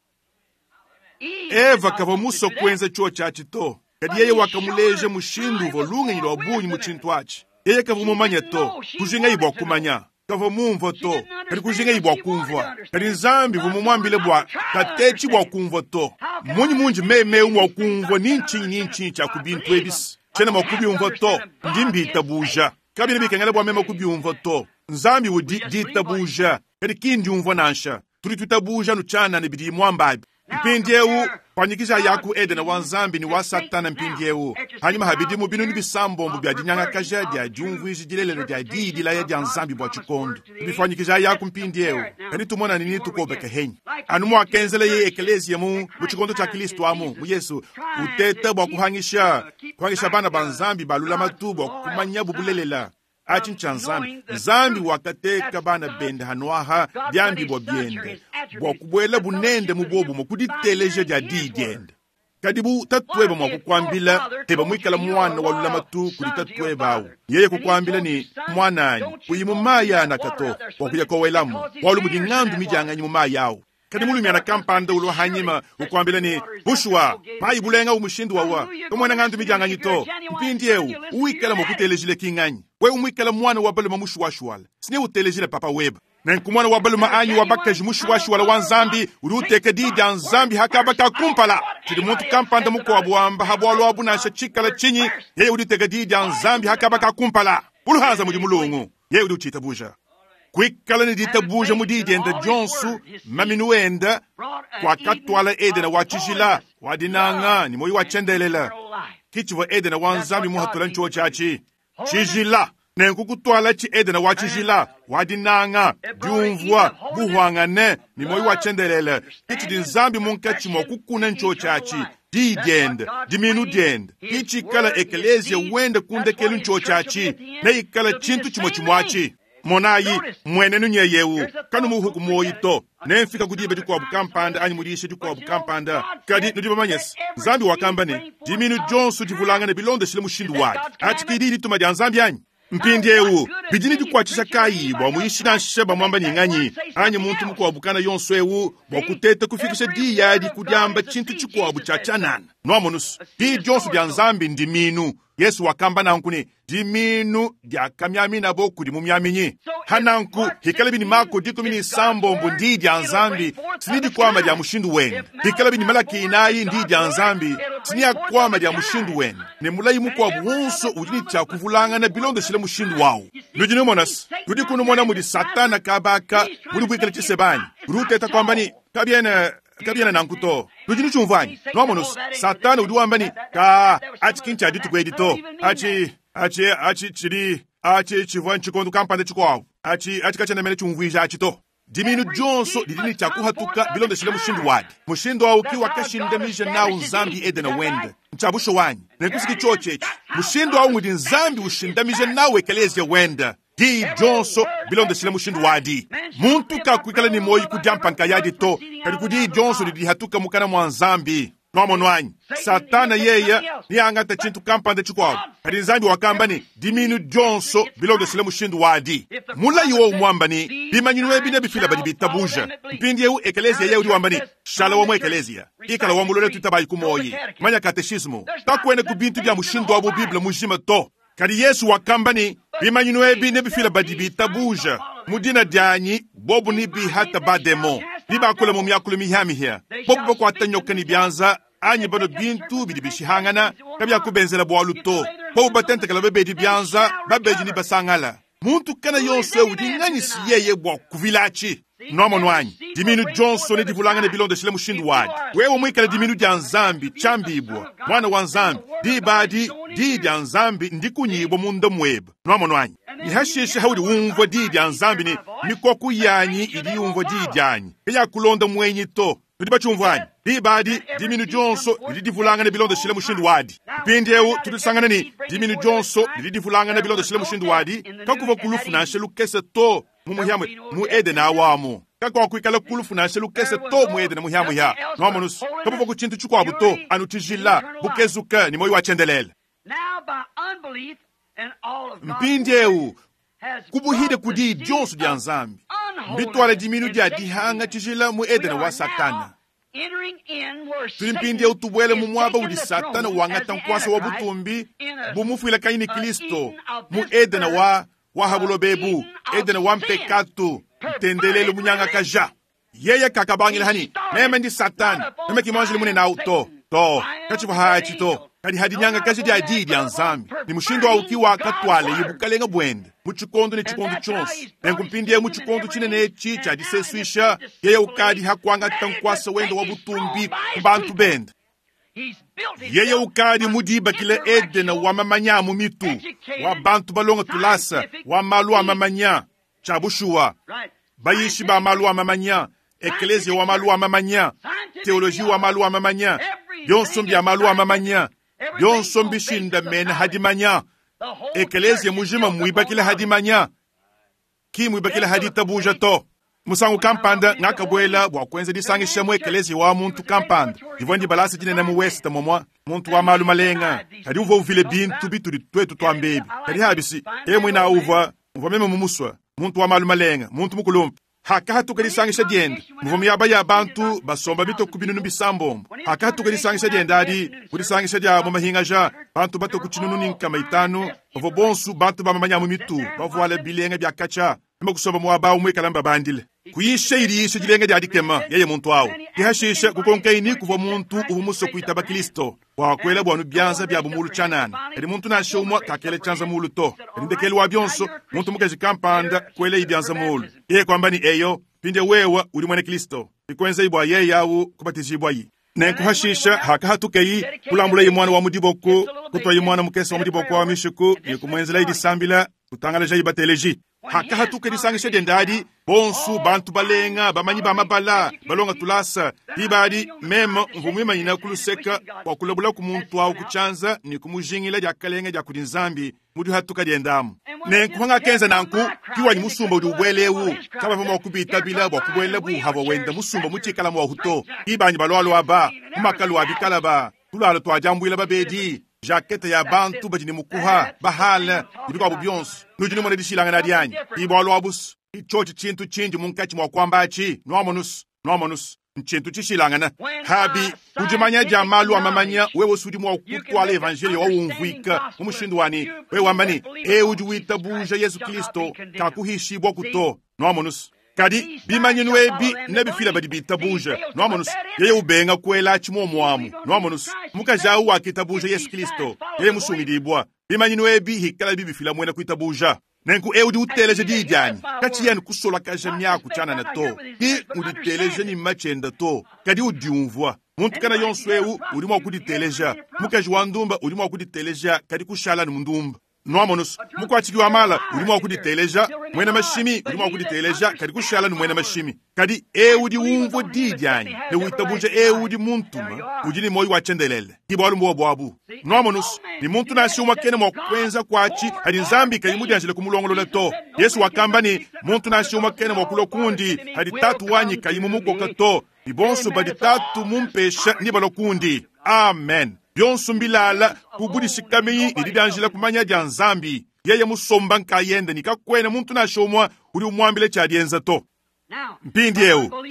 Eva kava muso kwenza chuo chachi to. Kadi yeye wakamuleje mushindu volunga nyilo wabunyi muchintu achi. Yeye kavumumanya to, kujinga ibwa kumanya. Kavumumva to, kadi kujinga ibwa kumvwa. Kadi nzambi vumumwambile bwa katechi bwa kumvwa to. Munyi munji meme umwa kumvwa ninchi ninchi cha kubintu ebisi. Chena makubi umvwa to, ndimbi itabuja. Kabili bikengele bwa meme kubi umvwa to. Nzambi udi ditabuja. Kadi kindi umvwa nansha. Tuli tutabuja nuchana nibidi mwambabi. Mpindi ewu panyikisha yaku Edena wa nzambi ni wa satana mpindi ewu hanyuma habidi mu binu nibisambombo bya dinyangakaja dia diumvuiji dilelelo dia diidila ya dia nzambi bwa tshikondo bifanyikisha yaku mpindi ewu kadi tumona nini tukobeka henyi anu mwakenzela ye ekelesia mu mu tshikondo tshia Kristo amu mu Yesu uteta bwa kuhangisha kuhangisha bana ba nzambi balula matu bwa kumanya bubulelela achi ncha nzambi nzambi wakateka bana bende hanwaha byambi bwa byende bwa kubwela bunende mu bobumo kuditeleja dia didiende kadi bu tatweba mwa kukwambila teba mwikala mwana wa lulamatu kuli tatweba awu yeye kukwambila ni mwanani kuyimu maya na kato wakuya kowelamu walu mudi ng'andu mijanganyi mu maya awu kadi mulumi ana kampanda ulo hanyima ukwambila ni bushwa mayi bulenga umushindu wawa tomwana ng'andu mijanganyi to mpindi ewu uwikala mwakutelejile king'anyi we umwikala mwana wa baluma mushuwashuwala sine utelejile papa weba nenku mwana wa baluma anyi wa bakaji mushuwashuwala wa nzambi uri uteka didi ya nzambi hakaba kakumpala tshidi muntu kampanda mukuabu wamba habwalu abu nansha tshikala tshinyi yeye uri uteka didi ya nzambi hakaba kakumpala uluhanza mudi mulungu yeye uri utshitabuja kwikala ni ditabuja mu didi enda dionsu maminu enda kwakatwala edena wa tshijila wa dinanga ni moyi wa tshendelela kitshivua edena wa nzambi muhatula ntshuo tshiatshi tshijila nenku kutwala tshi edena wa tshijila wa dinanga diumvua buhwangane ni moyi wa tshendelele kitshidi nzambi munkatshi mua kukuna ntshuo tshiatshi diyi diende diminu diende kitshikala ekelesia wende kundekelu ntshuo tshiatshi neikala tshintu tshimue tshimuatshi. Monayi, mmuenenu nyeye eu, kanumuhu ku muoyi to. Nemfika ku diba dikuabu kampanda anyi mu diyisha dikuabu kampanda. Kadi nudi bamanye se, Nzambi wakamba ne, diminu dionso divulangane bilondeshile mushindu wadi. Atshi ke diyi dituma dia Nzambi anyi? Mpindieu bidi ne dikuatshisha kayi bua muyishi nansha bamuamba ne nganyi anyi muntu mukuabu kana yonso eu bua kuteta kufikisha diyi adi ku diamba tshintu tshikuabu tshia tshianana? Nuamonusu, diyi dionso dia Nzambi ndiminu. Yesu wakamba nanku ne, diminu diakamiaminabo kudi mumiaminyi. Hananku hikalabi ni Mako dikumi ne sambombo ndiyi dia Nzambi, sini dikwama dia mushindu wende. Hikalabi ni Malaki inayi ndiyi dia Nzambi, sini yakwama dia mushindu wende. Ne mulayi mukuabu wonso udi ne tshia kuvulangana bilondeshile mushindu wawu. Nudi numona se, tudi kunumona mudi Satana kabaka mudi buikala tshisebanyi. Udi uteta kwamba ni kabiena kabiena nanku to. Nudi nutshiumvua anyi? Nuamonusu, Satana udi wamba ni ka atshi ki ntshia dituku edi to. Atshi atshi atshi tshidi atshi tshivua ntshikondo kampanda tshikuabu. Atshi atshi katshiena mene tshiumvuija atshi to. Diminu dionso didi ne tshia kuhatuka bilondeshile mushindu wadi. Mushindu awu ki wakashindamija nawu Nzambi Edena wende. Ntshia bushuwa anyi? Nenkusiki tshiotshi etshi. Mushindu awu ngudi Nzambi ushindamija nawu ekeleziya wende. Diyi dionso bilondeshile mushindu wadi. Muntu kakuikala ne muoyi ku diampa nkayadi to, kadi ku diyi dionso didi dihatuka mukana mua Nzambi. Nuamono anyi? Satana yeye neangata tshintu kampanda tshikuabu, kadi Nzambi wakamba ne diminu dionso bilondeshile mushindu wadi. Mulayi wowu muamba ne bimanyinu ebi nebifila badi bitabuja. Mpindieu ekeleziya yeye udi wamba ne shala wa mu ekeleziya, ikala wa mulole tuitabayi ku muoyi, manya kateshismu, kakuena ku bintu bia mushindu wa mu Bible mujima to. Kadi Yesu wakamba ne bimanyinu ebi nebifila badi bitabuja mu dina dianyi, bobu ne bihata bademo, nibakula mu miakulu mihiamihia, bobu bakuata nyoka ne bianza anyi bano bintu bidi bishihangana kabiakubenzela bualu to, bobu batentekela babedi bianza, babedi ne basangala. Muntu kana yonso udi nganyi si yeye bua kuvilatshi? Nuamono anyi? Diminu dionso nedivulangane bilondeshile mushindu wadi. Wewe muikale diminu dia Nzambi tshiambibua, mwana wa Nzambi, diba adi diyi dia Nzambi ndikunyibwa munda muebe. Nuamono anyi? Nihashishe haudi umvua diyi dia Nzambi ne mikoko yanyi idi yumvua diyi dianyi, kayakulonda muenyi to. Tudi batshiumvua anyi? Diba adi diminu dionso didi divulangane bilondeshile mushindu wadi. Mpindieu tudisangana ne diminu dionso didi divulangane bilondeshile mushindu wadi, kakuva kulufu nansha lukese to mu muhiamwe mu Edena awamu. Kakuakuikala kulufu nansha lukese to mu Edena muhiamuhia. Nuamonusu, kabuva ku tshintu tshikuabu to, anu tshijila, bukezuka ne moyo wa tshiendelele. Mpindieu kubuhide ku diyi dionso dia Nzambi, mbitwala diminu dia dihanga tshijila mu Edena wa Satana. Tudi mpindieu tubuele mu muaba udi Satana wangata nkuasa wa butumbi bumufuila kanyi ne Kristo mu Edena wa wa habulobebu, Edena wa mpekatu, ntendelelu munyangakaja. Yeye kakabangila hani meme ndi Satana, meme ki mwanjili munene awu to to katshivua hatshi to, kadi hadinyangakaja dia diyi dia Nzambi ni mushindu awu ki wakatwala ibukalenga buende mu tshikondo ne tshikondo tshionso. Nenku mpindieu mu tshikondo tshinene etshi tshia disesuisha, yeye ukadi hakuangata nkuasa wende wa butumbi ku bantu bende. Yeye ukadi mudibakile Edena wa mamanya mu mitu, wa bantu balonga tulasa, wa malu a mamanya tshia bushuwa, bayishi ba malu a mamanya, ekeleziya wa malu a mamanya, teoloji wa malu a mamanya, bionso mbia malu a mamanya, bionso mbishindamene hadimanya. Ekeleziya mujima muibakile hadimanya, ki muibakile haditabuja to. Musangu kampanda ngakabuela bua kuenza disangisha mu ekeleziya wa muntu kampanda. Divua ndibalasa dinene mu West momwa, muntu wa malu malenga, kadi uvua uvile bintu bitudi tuetu tuambebi. Kadi habisi, yeye muina uvua uvua meme mumuswa, muntu wa malu malenga, muntu mukulumpe. Hakahatuka disangisha diende muvua miaba ya bantu basomba bitoku binunu bisambombo. Hakahatuka disangisha diende adi ku disangisha dia mu mahingaja, bantu batoku tshinunu ne nkama itanu bavua bonsu bantu bamamanya mu mitu, bavuala bilenga bia katshia, meme kusomba muaba umue kalamba bandile. Kuyisha idiyisha dilenga dia dikema yeye muntu awu. Kihashisha kukonkaini kuvua muntu uvua musue kuitaba Kristo bua kuela buanu bianza bia bumulu tshianana. Kadi muntu nansha umue kakela tshianza mulu to. Kadi ndekelu wa bionso muntu mukaji kampanda kuela ibianza mulu. Yeye kwamba ni eyo pinde wewe udi mwene Kristo. Ikuenza bua yeye awu kubatizibwa yi. Nenkuhashisha hakahatukeyi kulambula mwana wa mudiboko, kutwayi mwana mukese wa mudiboko wa mishiku ne kumwenzela idisambila Tutangalajayi bateleji. Hakahatuka disangisha diende adi, bonsu bantu balenga bamanyi ba mabala balonga tulasa diba adi meme mvua muimanyina ku luseka bua kulabula ku muntu awu ku tshianza ne kumujingila diakalenga dia kudi Nzambi mu dihatuka diende amu. Nenku hangakenza nanku kiwanyi musumba udi ubwela ewu kabavua mua kubitabila bua kubuela buhava wenda musumba mu tshikala muahu to. Kibanyi balualua ba mu makalu a bikala ba tulalo tuadiambuila babedi jakete ya bantu badi ne mukuha bahala ne bikuabu bionso. Nudi numona dishilangana dianyi ibwalu abusu ichochi tshintu tshindi munkatshi mua kuamba atshi nuamonusu nuamonusu ntshintu tshishilangana. Habi kudimanya dia malu a mamanya wewe usudi mua kutwala evanjelio waumvuika mu mushindu wani wewe wamba ne ewu udi witabuja Yesu Kristo kakuhishibwa kuto nuamonusu. Kadi bimanyinu ebi nebifila badi bitabuja nuamonusu. Yeye ubenga kuela tshimomuamu nuamonusu. Mukaji awu wakitabuja Yesu Kristo yeye musungidibwa. Bimanyinu ebi hikala bibifila mwena kuitabuja. Nenku ewu udi uteleja diyi dianyi katshi yenu kusolakaja miaku tshianana to ki uditeleja ni machenda to kadi udiumvua. Muntu kana yonso ewu udi mua kuditeleja. Mukaji wa ndumba udi mua kuditeleja kadi kushala ni mundumba nuamonusu. Mukwatshiki wa mala udi mua kuditeleja. Mwena mashimi udi mua kuditeleja kadi kushala ni mwena mashimi. Kadi ewu udi umvua diyi dianyi ne witabuja ewu udi muntuma udi ne moyo wa tshiendelele kibwalu mbuwa bwabu nuamonusu. Ni muntu nasi umwe kene mua kwenza kwatshi hadi Nzambi kayi mudianjile kumulongolola to. Yesu wakamba ni muntu nasi umwe kene mua kulwa kundi hadi tatu wanyi kayi mumukoka to. Ni bonso badi tatu mumpesha ni balokundi. Amen. Byonso mbilala kubudishikamiyi ni didianjila kumanya dia Nzambi. Yeye musomba nkayende ni kakwena muntu nasi umwe udi umwambile tshia dienza to. Mpindi ewu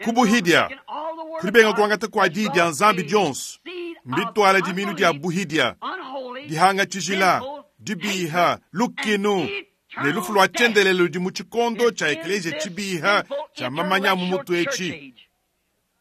kubuhidia kulibenga kuangata kwa di dia Nzambi dionso mbitwala diminu dia buhidia dihanga tshijila dibiha lukinu ne lufu lwa tshiendelele ludi mu tshikondo tshia eklesia tshibiha tshia mamanya mu mutu etshi.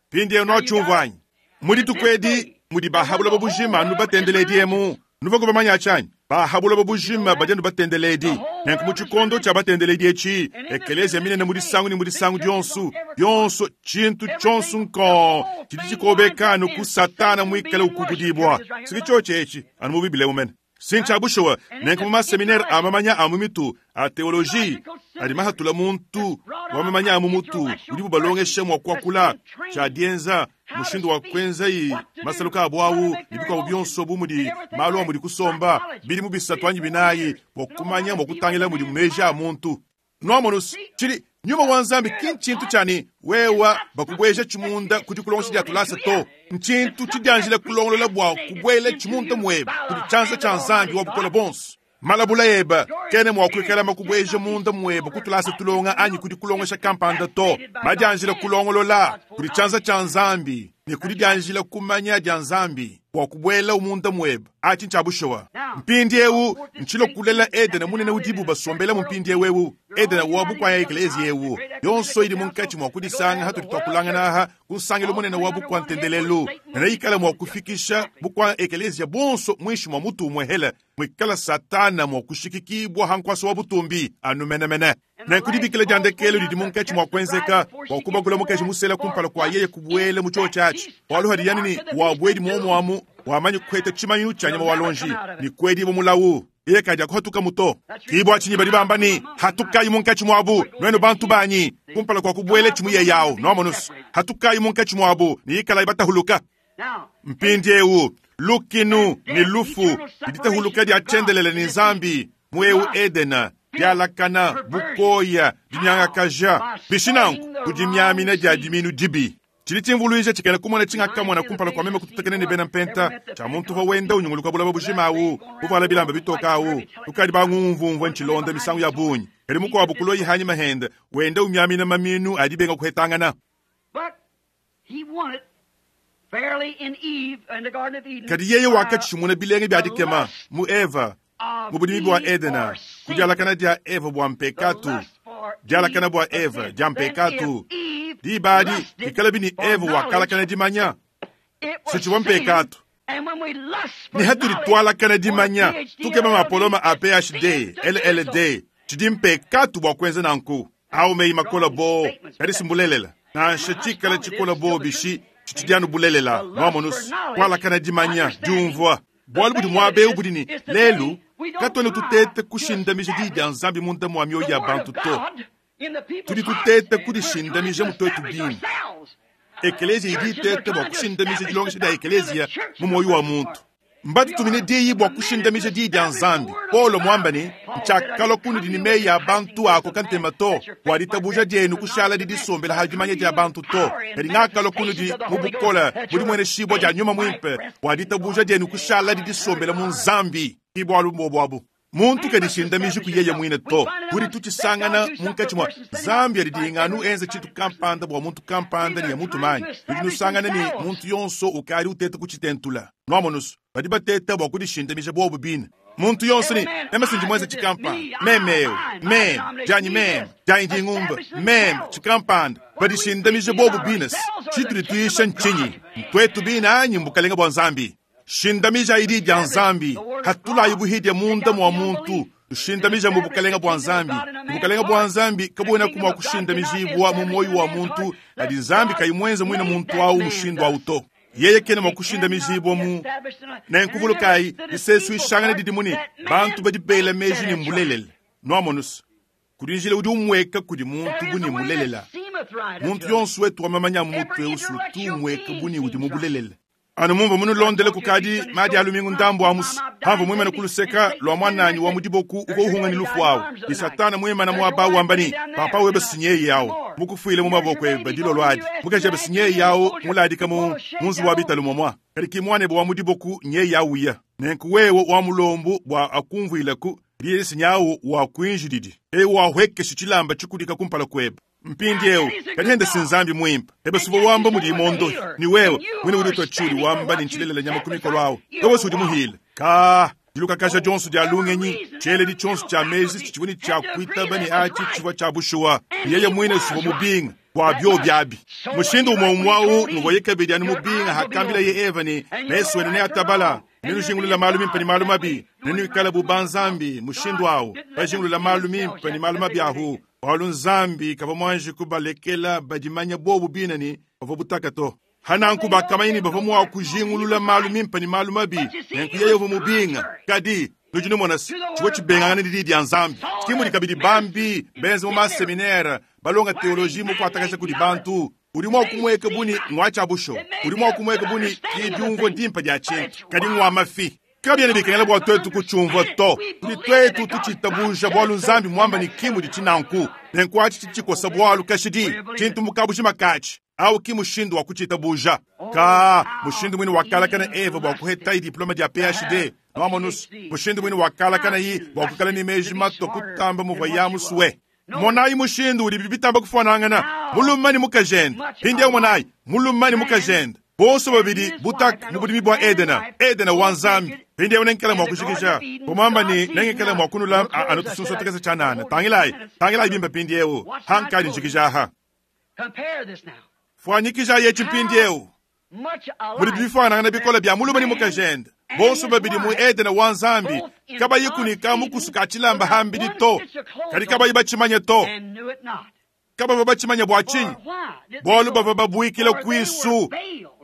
Mpindi ewu notshiumvuanyi mudi tukwedi mudi bahabula babujima nu batendeledi emu nuva bamanya tshanyi bahabula babujima badi nu batendeledi. Nenku mu tshikondo tshia batendeledi etshi eklesia minene mu disangu ni mu disangu dionso yonso tshintu tshionso nko tshidi tshikobeka nu ku Satana muikale ukukudibwa. Siki tshotshi etshi anu mu Biblia mumene sintsha bushuwa. Nenku mu maseminaire a mamanya a mu mitu a teologie adi mahatula muntu wa mamanya a mu mutu udi bubalongesha mua kuakula tshia dienza mushindu wa kwenza yi masaluka abu awu ne bikuabu bionso bu mudi malu a mudi kusomba bidi mu bisatu anyi binayi bua kumanya mua kutangila mudi meji a muntu. Nuamonusu tshidi nyuma wa Nzambi ki ntshintu tshiani wewa bakubweja tshimunda kudi kulongesha dia tulasa to. Ntshintu tshidianjila kulongolola bua kubwela tshimunda muebe kudi tshianza tshia Nzambi wa bukola bonso. Malabula eba kene mua kuikala makubweja munda muebe kutulasa tulonga anyi kudi kulongesha kampanda to. Madianjila kulongolola kudi tshianza tshia Nzambi ne kudi dianjila kumanya dia Nzambi bua kubwela umunda muebe atshi ntshia bushuwa. Mpindi ewu ntshilo kulela Edena munene udibu basombela mu mpindi ewu ewu Edena wa bukwaya eklesia ewu yonso idi munkatshi mua kudisanga hatudi twakulangana aha ku nsangilo munene wa bukwa ntendelelu nene ikala mua kufikisha bukwa eklesia bonso mwishi mwa mutu umwe hela mwikala Satana mua kushikikibwa hankwasa wa butumbi anu menemene. Nenku dibikila dia ndekelo didi munkatshi mua kuenzeka bua kubakula mukaji musela kumpala kua yeye kubuela mu chio tshiatshi bualu hadi yani ni wabwedi muomuamu wamanyi kuheta tshimanyu tshia nyama wa lonji ni kwedi mulawu yeye kaja kuhatuka muto. Kibwa tshinyi badi bamba ni hatukayi munkatshi muabu nwenu bantu banyi kumpala kwa kubuela tshimuye yawo noamonusu hatukayi munkatshi muabu ni ikala ibatahuluka. Mpindi ewu lukinu ni lufu diditahuluka dia tshiendelele ni Nzambi mweu Edena dialakana bukoya dinyangakaja bishinanku kudimyamina dia diminu dibi. Tshidi tshimvuluija tshikena kumona tshingakamona kumpala kua meme kututekene ne bena mpenta tshia muntu uvua wenda unyunguluka bulaba bujima awu buvala bilamba bitoka awu tukadi bangumvumvua ntshilonda misangu ya bungi kadi mukuabu kuloyi hanyi mahenda wenda umyamina maminu adi benga kuhetangana. Kadi yeye wakatshimuna bilenge bia dikema mu Eva mu budimi bua Edena kudialakana dia Eva bua mpekatu dialakana bua Eva dia mpekatu diba adi ikala bini Eva wakalakana dimanya sitshivua mpekatu ni hatudi twalakana dimanya tukema mapoloma a P H D L L D tshidi mpekatu bua kuenza nanku au meyi makola bo kadi simbulelela nansha tshikala tshikola bo bishi tshitshidianu bulelela nuamonusu kwalakana dimanya diumvua bualu budi muaba ewu budi ni lelu Katuena tuteta kushindamija diyi dia Nzambi munda mua mioyo ya bantu to. Tudi tuteta kudishindamija mu tuetu bine. Ekeleziya idi iteta bua kushindamija dilongesha dia ekeleziya mu muoyo wa muntu. Mbatutumine diyi bua kushindamija diyi dia Nzambi. Paulo muamba ne, ntshiakalua kunudi ne meyi a bantu akoka ntema to, bua ditabuja dienu kushala didisombela ha dimanya dia bantu to. Kadi ngakalua kunudi mu bukole budi mueneshibua dia Nyuma Muimpe, bua ditabuja dienu kushala didisombela mu Nzambi. Ki bualu mbobu abu. Muntu kadishindamiji ku yeye muine to. Tudi tutshisangana munkatshi mua Nzambi adidinga anu enza tshintu kampanda bua muntu kampanda ne ya mutu manyi. Tudi nusangana ne muntu yonso ukadi uteta kutshitentula. Nuamonusu, badi bateta bua kudishindamija bobu bine. Muntu yonso ne meme sindi mwenza tshikampanda, meme eu, meme, janyi meme, janyi dingumba, meme, tshikampanda. Badishindamija bobu bine. Tshitudi tuisha ntshinyi? Ntwetu bine anyi mbukalenga bua Nzambi? Shindamija idi dia Nzambi, hatulayi buhidia munda mua muntu, tushindamija mu bukalenga bua Nzambi. Bukalenga bua Nzambi kabuena kumua kushindamijibua mu moyo wa muntu, adi Nzambi kayimuenze muine muntu awu mushindu awu to. Yeye kena mua kushindamijibua mu nenkuvulukayi disesu ishangana didi muni bantu badi bela meji ne mbulelele. Nuamonusu, kudi njila udi umweka kudi muntu bu ne mulelela. Muntu yonso wetu wa mamanya mutu eusu tu umweka bu ne udi mubulelele. Anu mumva munulondele kukadi madi alumingu ndambu amusu. Hamva mwimana kuluseka lwa mwananyi wa mudiboku uko uhunga ni lufu awu. Ni satana mwimana mwaba wambani, papa webe sinyeyi yawu. Mukufuile mu maboko ebe dilolo adi. Mukaji ebe sinyeyi yawu muladika mu munzu wa bitalu momwa. Kadi ki mwanebe wa mudiboku nyeyi yawu ya. Nenku wewe wa mulombu bua akumvuileku, liye sinyawu wa kuinjididi. Ewe wa hwekesha tshilamba tshikudika kumpala kwebe. Mpindi eu, kadi si Nzambi mwimpe. Ebe suva wamba mudi imondo, ni wewe, mwine udi utwa tshuli wamba ni ntshilelela nyama ku mikolo awu. Wewe sudi muhile. Ka, diluka kasha Johnson dia lungenyi, tshieledi tshionso tshia mezi tshivua tshia kuitaba ne atshi tshivua tshia bushuwa. Yeye mwine suva mubinga bua bio biabi. Mushindu umwe umwawu nuvoye kabidi anu mubinga hakambila ye Eva ne mesu enu ne atabala. Nenujingulula malu mimpe ne malu mabi. Nenuikale bu banzambi mushindu awu. Bajingulula malu mimpe ne malu mabi ahu. Bualu Nzambi kavua muanji kubalekela badimanya bobu bine ne bavua butaka to. Hananku bakamanya ne bavua mua kujingulula malu mimpe ne malu mabi. Nenku yeye uvua mubinga. Kadi nudi numona tshivua tshibengangana ne diyi dia Nzambi. Kimudi kabidi bambi benze mu maseminaire balonga teoloji mu kuatakasha kudi bantu. Udi mua kumweka buni ngwa tshia busho. Udi mua kumweka buni ki diumvua dimpe dia tshintu. Kadi ngwa mafi. Kabiena bikengela bua tuetu kutshiumvua to. Tudi tuetu tutshitabuja bualu Nzambi muamba ne kimudi tshinanku. Nenku atshi tshikosa bualu kashidi. Tshintu mukabuji makatshi. Au ki mushindu wa kuchitabuja. Ka mushindu mwini wakalakana Eva bua kuheta diploma dia P H D. Nuamonus mushindu mwini wakalakana yi bua kukala ni meji mato kutamba muvua ya musuwe. Monayi mushindu udi bibitamba kufuanangana. Mulumani mukajenda. Hindi monayi mulumani mukajenda. Bonso babidi butak mubudimi bua Edena. Edena wa Nzambi. Hindi nenkela mwa kushikisha. Kumamba ni nengekela mwa kunula anotusunso tekesa chanana. Tangilai, tangilai bimba pindi eu. Hankali nshikisha ha. Fuanyikisha yechi mpindi eu. Muri bifuanangana bikola bya mulumani mukajenda. Bonso babidi mu Edena wa Nzambi. Kabayi kunika mukusuka tshilamba hambidi to. Kadi kabayi bachimanye to. Kabava bachimanya bua tshinyi? Bualu bava babuikila kuisu.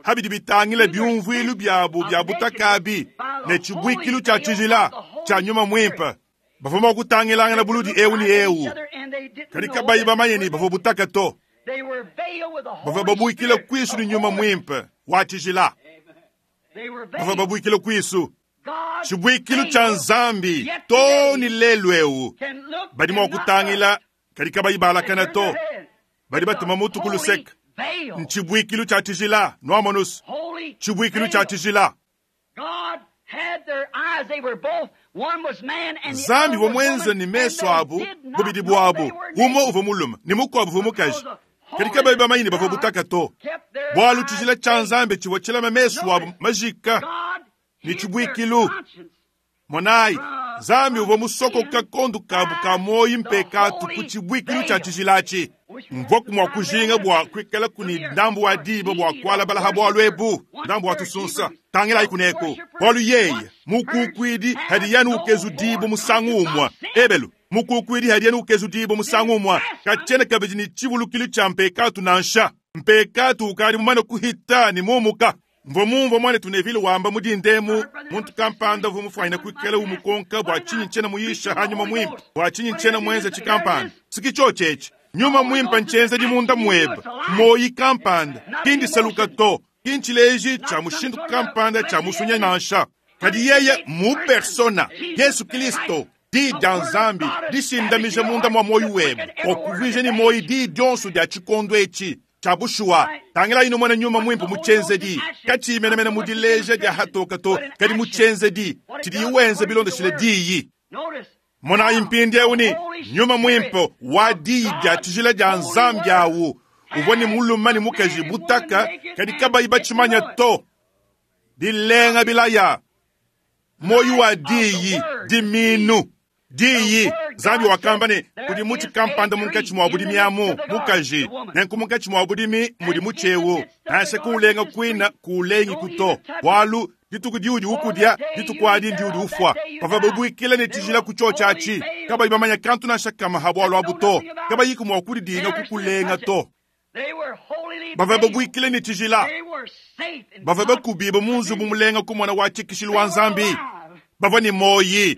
Habidi bitangila biumvuilu byabu bya butakabi ne tshibuikilu tshia tshijila tshia nyuma mwimpe. Bavua mua kutangilangana buludi eu ni eu. Kadi kabayi bamanye ni bavua butaka to. Bavua babuikila kuisu ni nyuma mwimpe wa tshijila. Bavua babuikila kuisu. Tshibuikilu tshia Nzambi to ni lelu eu. Badi mua kutangila kadi kabayi balakana to. Badi batuma mutu kuluseka. Ntshibuikilu tshia tshijila nuamonus. Tshibuikilu tshia tshijila. Nzambi wa mwenza ni meso abu bubidi bwabu. Umwe uvua mulume ni mukuabu uvua mukaji. Kadi kabayi bamanye ni bavua butaka to. Bualu tshijila tshia Nzambi tshivua tshilama meso abu majika ni tshibuikilu. Monayi Nzambi uvua musokoka kondu kabu ka moyi mpekatu ku tshibuikilu tshia tshijilatshi. Mvua kumua kujinga bua kuikala kuni ndambu wa diba bua kualabala ha bualu ebu ndambu wa tusunsa tangilayi kuneko bualu yeye mukukwidi hadi yanu ukezu diba musangu umwa ebelu mukukwidi hadi yanu ukezu diba musangu umwa kachena kabidi ni tshivulukilu tshia mpekatu nansha mpekatu ukadi mumane kuhita ni mumuka. Mvua mumvua mwanetu Neville wamba mu dindemu muntu kampanda uvua mufuanyine kuikala umukonka bua tshinyi ntshiena muyisha hanyuma muimpe, bua tshinyi ntshiena muenze tshikampanda. Sikicho etshi nyuma muimpe ntshienzedi munda muebe moyi kampanda kindisaluka to kintshileji tshia mushindu kampanda tshia musunya nansha kadi yeye mu persona Yesu Kristo di dia Nzambi dishindamija munda mwa moyi webe okuvije ni moyi di dionso dia tshikondo etshi tshia bushuwa. Tangila ino mwana nyuma mwimpe mu tshienzedi katshimenemene mu dileja dia hatoka to kadi mu tshienzedi tshidi wenza bilondeshile diyi. Mona impindi ni nyuma mwimpe wa diyi dia tshijila dia Nzambi awu uvua ni muluma ni mukaji butaka kadi kabayi batshimanya to dilenga bilaya moyi wa diyi diminu diyi. Nzambi wakamba ne kudi mutshi kampanda munkatshi mwa budimi amu mukaji nenku munkatshi mwa budimi mudi mutshi nansha kuulenga kwina kuulengi kuto bwalu dituku diudi ukudia dituku adi ndiudi ufwa bava babuikile ne tshijila ku tshio tshiatshi kabayi bamanya kantu nansha kama ha bwalu abu to kabayi kumwa kudidinga kukulenga to bava babuikile ne tshijila bava bakubiba mu nzubu mulenga kumona wa tshikishilu wa Nzambi bava ni moyi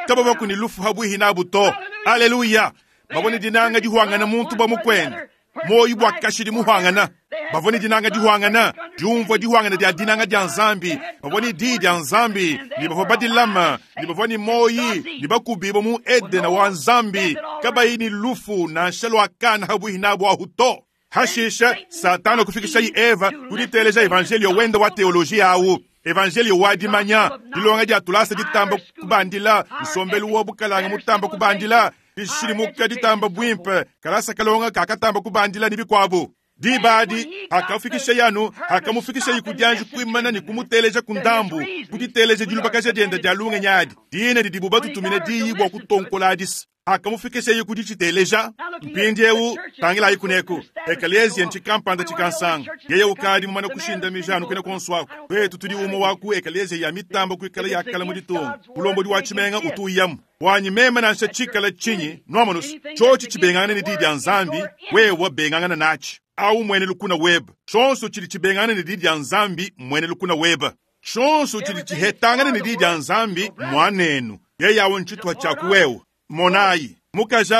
kabava kuni lufu habwihi nabu to. Aleluya. Bava ni dinanga dihwangana muntu bwa mukwenda moyi bwa kashidi muhwangana bava ni dinanga dihwangana diumvua dihwangana dia dinanga dia Nzambi bava ni di dia Nzambi ni bava badilama ni bava ni moyi ni bakubiba mu Edena wa Nzambi kabayi ni lufu nansha lwakana habwihi nabu ahu to. Hashisha Satana kufikisha yi Eva kuditeleja evangelio wenda wa teolojia awu evangelio wa dimanya dilonga dia tulasa ditamba kubandila nsombelu wa bukalanga mutamba kubandila dishilimuka ditamba bwimpe kalasa kalonga kakatamba kubandila ni bikwabu dibadi akafikisha yanu akamufikisha yikudianji kuimana ni kumuteleja kundambu kuditeleja dilubakaja dienda dia lunga nyadi dina didibu batutumine diyi bwa kutonkola adisi akamufikisha yikuditshiteleja mpindi ewu tangila yikuneku ekalesia ntshikampanda tshikansanga yeye ukadi mumana kushinda mijanu kwena konswako kwetu tudi umo waku ekalesia ya mitambo kuikala yakala mu ditunga mulombodi wa tshimenga utuyamu wanyi meme nansha tshikala tshinyi nomanusu tshotshi tshibengangana ne didi dia Nzambi wewa bengangana natshi au mwene lukuna weba tshonso tshidi tshibengangana ne didi dia Nzambi mwene lukuna weba tshonso tshidi tshihetangana ne didi dia Nzambi mwanenu yeye awo ntshituha tshiaku Monayi mukaji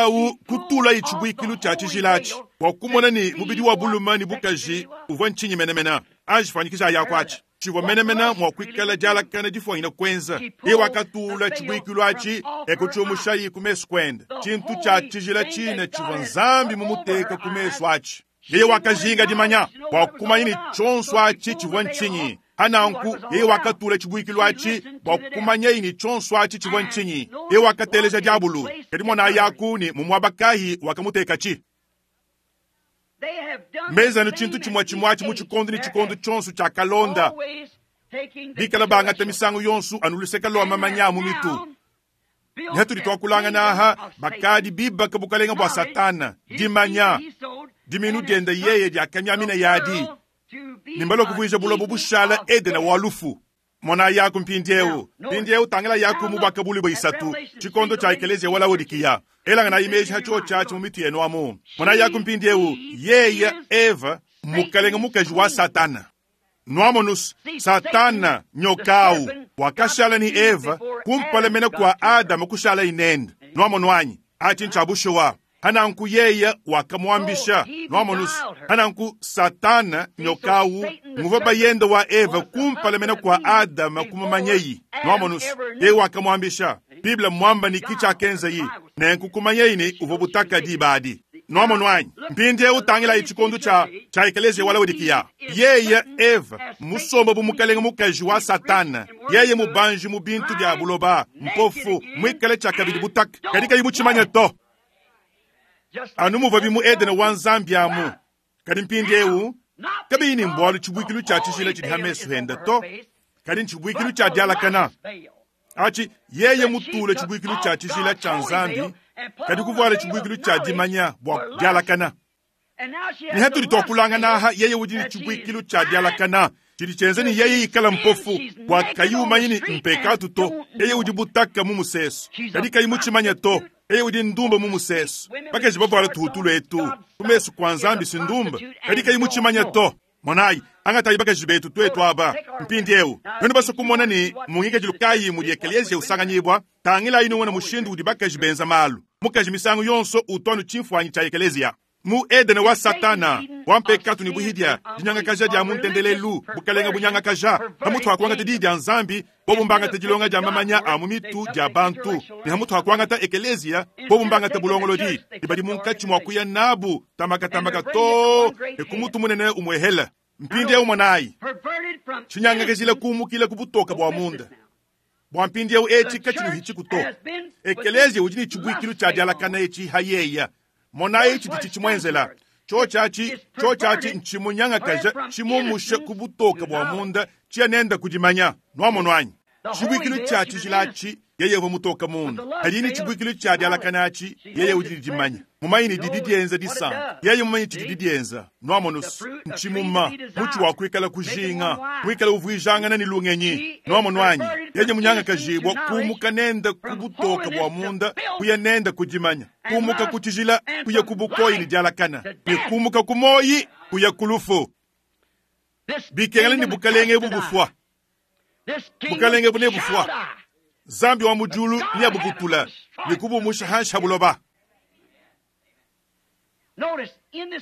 kutula itshibwikilu tshia tshijilatshi bua kumona ni mubidi wa buluma ni bukaji uvua ntshinyi menemena anjifanyikisha yakwatshi tshivua menemena mua kuikala dialakana difuanyina kwenza iye wakatula tshibwikilu atshi ekutshiumushayi ku mesu kwenda tshintu tshia tshijila tshine tshivua Nzambi mumuteka ku mesu atshi yeye wakajinga dimanya bua kumanya ni tshonso atshi tshivua ntshinyi hananku yeye wakatula tshibwikilu atshi bua kumanya ni tshonso atshi tshivua ntshinyi yeye wakateleja diabulu kadi mwana yaku ni mumwabakahi wakamuteka-tshi mezanu tshintu tshimue tshimue atshi mu tshikondo ni tshikondo tshonso tshia kalonda bikala bangata misangu yonso anuluseka lwa mamanya mu mitu nihatudi twakulangana aha bakadi bibaka bukalenga bua Satana dimanya diminu dienda yeye diakamiamina yadi nimbalo kuvuija bulobo bushala Edena wa lufu. Mona yaku mpindiewu mpindiewu tangila yaku mu bwakabuli bwa isatu tshikondo tshia ekelesia wa Laodikiya elanga na imeji hatshio tshiatshi mu mitu yenu amu. Mona yaku mpindiewu yeye Eva mukalenga mukaji wa Satana nwamonus Satana nyokau wakashala ni Eva kumpalemena kwa Adamu kushala inenda nwamonwanyi atshi ntshabushuwa hananku yeye wakamwambisha nwamonus hananku Satana nyokau nguva bayenda wa Eva kumpalemena kwa Adama kumamanyeyi nwamonus yeye wakamwambisha Biblia mwamba ni kicha kenza yi nenku kumanyeyi ni uva butaka dibadi nwamonwanyi mpindi utangila itshikondo tshia tshia ekelesia wa Laodikiya yeye Eva musomba bu mukalenga mukaji wa Satana yeye mubanji mu bintu bya buloba mpofu mwikale tshia kabidi butaka kadi kayi mutshimanya to anu muva bimu Edena wa Nzambi amu kadi mpindi ewu kabiyi ni mbwalu tshibwikilu tshia tshijila tshidi hamesu henda to kadi ntshibwikilu tshia dialakana atshi yeye mutule tshibwikilu tshia tshijila tshia Nzambi kadi kuvuala tshibwikilu tshia dimanya bua dialakana ni hatudi twakulangana aha yeye udi ni tshibwikilu tshia dialakana tshidi tshienza ni yeye ikala mpofu bua kayi umanyi ni mpekatu to yeye udi butaka mu musesu kadi kayi mutshimanya to yeye udi ndumba mu musesu bakaji bavuala tuhutulu etu ku mesu kwa Nzambi si ndumba kadi kayi mutshimanya to. Monayi, angatayi bakaji betu twetu aba mpindieu. Nuenu basue kumona ne mu ngikadilu kayi mudi ekeleziya usanganyibua, tangilayi numone mushindu udi bakaji benza malu. Mukaji misangu yonso utu anu tshimfuanyi tshia ekeleziya. Mu Edene wa Satana, wa mpekatu ne buhidia, dinyangakaja dia mu ntendelelu, bukalenge bunyangakaja, pamutu pa kuangata diyi dia Nzambi, bobu mbangata dilonga dia mamanya a mu mitu dia bantu, ne pamutu pa kuangata ekeleziya, bobu mbangata bulongolodi, ne badi munkatshi mua kuya nabu tamakatamaka too ne ku mutu munene umwehela. Mpindieu monayi, tshinyangakajila kumukila ku butoka bua munda. Bua mpindieu etshi katshinuhitshiku to. Ekeleziya udi ne tshibuikilu tshia dialakana etshi hayeya. Monayi tshidi tshitshimwenzela. Tshotshatshi, tshotshatshi ntshimunyangakaja, tshimumusha ku butoka bua munda, tshiya nenda kudimanya. Nuamono anyi? Tshibuikilu tshia tshijila atshi, yeye uvua mutoka munda. Kadi ne tshibuikilu tshia dialakana atshi, yeye udi ne dimanya. Mumanyi ne didi dienza disanka. Yeye mumanyi tshidi didienza. Nuamono ntshimuma, mutshi wa kuikala kujinga, muikala uvuijangana ne lungenyi. Nuamono anyi? Yeye munyangakajibua kumuka nenda ku butoka bua munda, kuya nenda kudimanya. Kumuka ku tshijila, kuya ku bukoyi ne dialakana. Ne kumuka ku moyi, kuya ku lufu. Bikengela ne bukalenge ebu bufua. Bukalenge bu nebufua. Nzambi wa mu diulu neabubutula ne kubumusha hanshi ha buloba.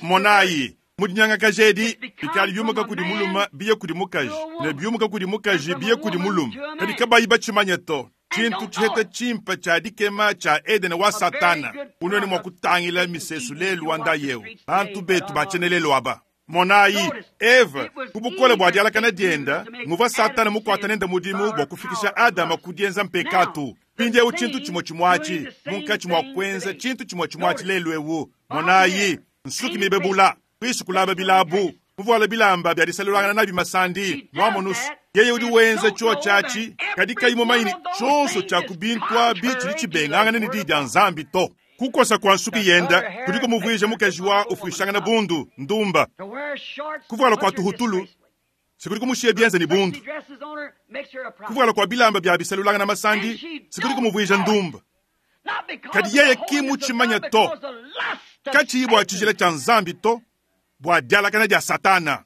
Monayi, mu dinyangakaja edi, bikali biumuka kudi mulume biye kudi mukaji, ne biumuka kudi mukaji biye kudi mulume, kadi kabayi batshimanye to. Tshintu tshiheta tshimpe tshia dikema tshia Edene wa Satana, unwene mua kutangila misesu lelu wa ndayeu, bantu betu batshienelelu aba. Monayi, Eva, ku bukole bua dialakana dienda, nguvua Satana mukuata nenda mudimu bua kufikisha Adama ku dienza mpekatu. Mpindieu tshintu tshimue tshimuatshi, munkatshi mua kuenza tshintu tshimue tshimuatshi lelu ewu. Monayi, nsuki mibebula, kuisu kulaba bilabu, kuvuala bilamba bia disalulangana nabi masandi, mwamonusu. Yeye udi wenza tshotshatshi, kadi kayi mumanyi ne tshionso tshia ku bintu abi tshidi tshibengangana ne diyi dia Nzambi to. Kukosa kwa nsuki yenda kudi kumuvuija mukaji wa ufuishangana bundu ndumba. Kuvuala kwa tuhutulu sikudi kumushiya bienza ne bundu. Kuvuala kwa bilamba bia bisalulangana masandi sikudi kumuvuija ndumba. Kadi yeye ki mutshimanya to, katshiyi bua tshijila tshia Nzambi to, bua dialakana dia Satana.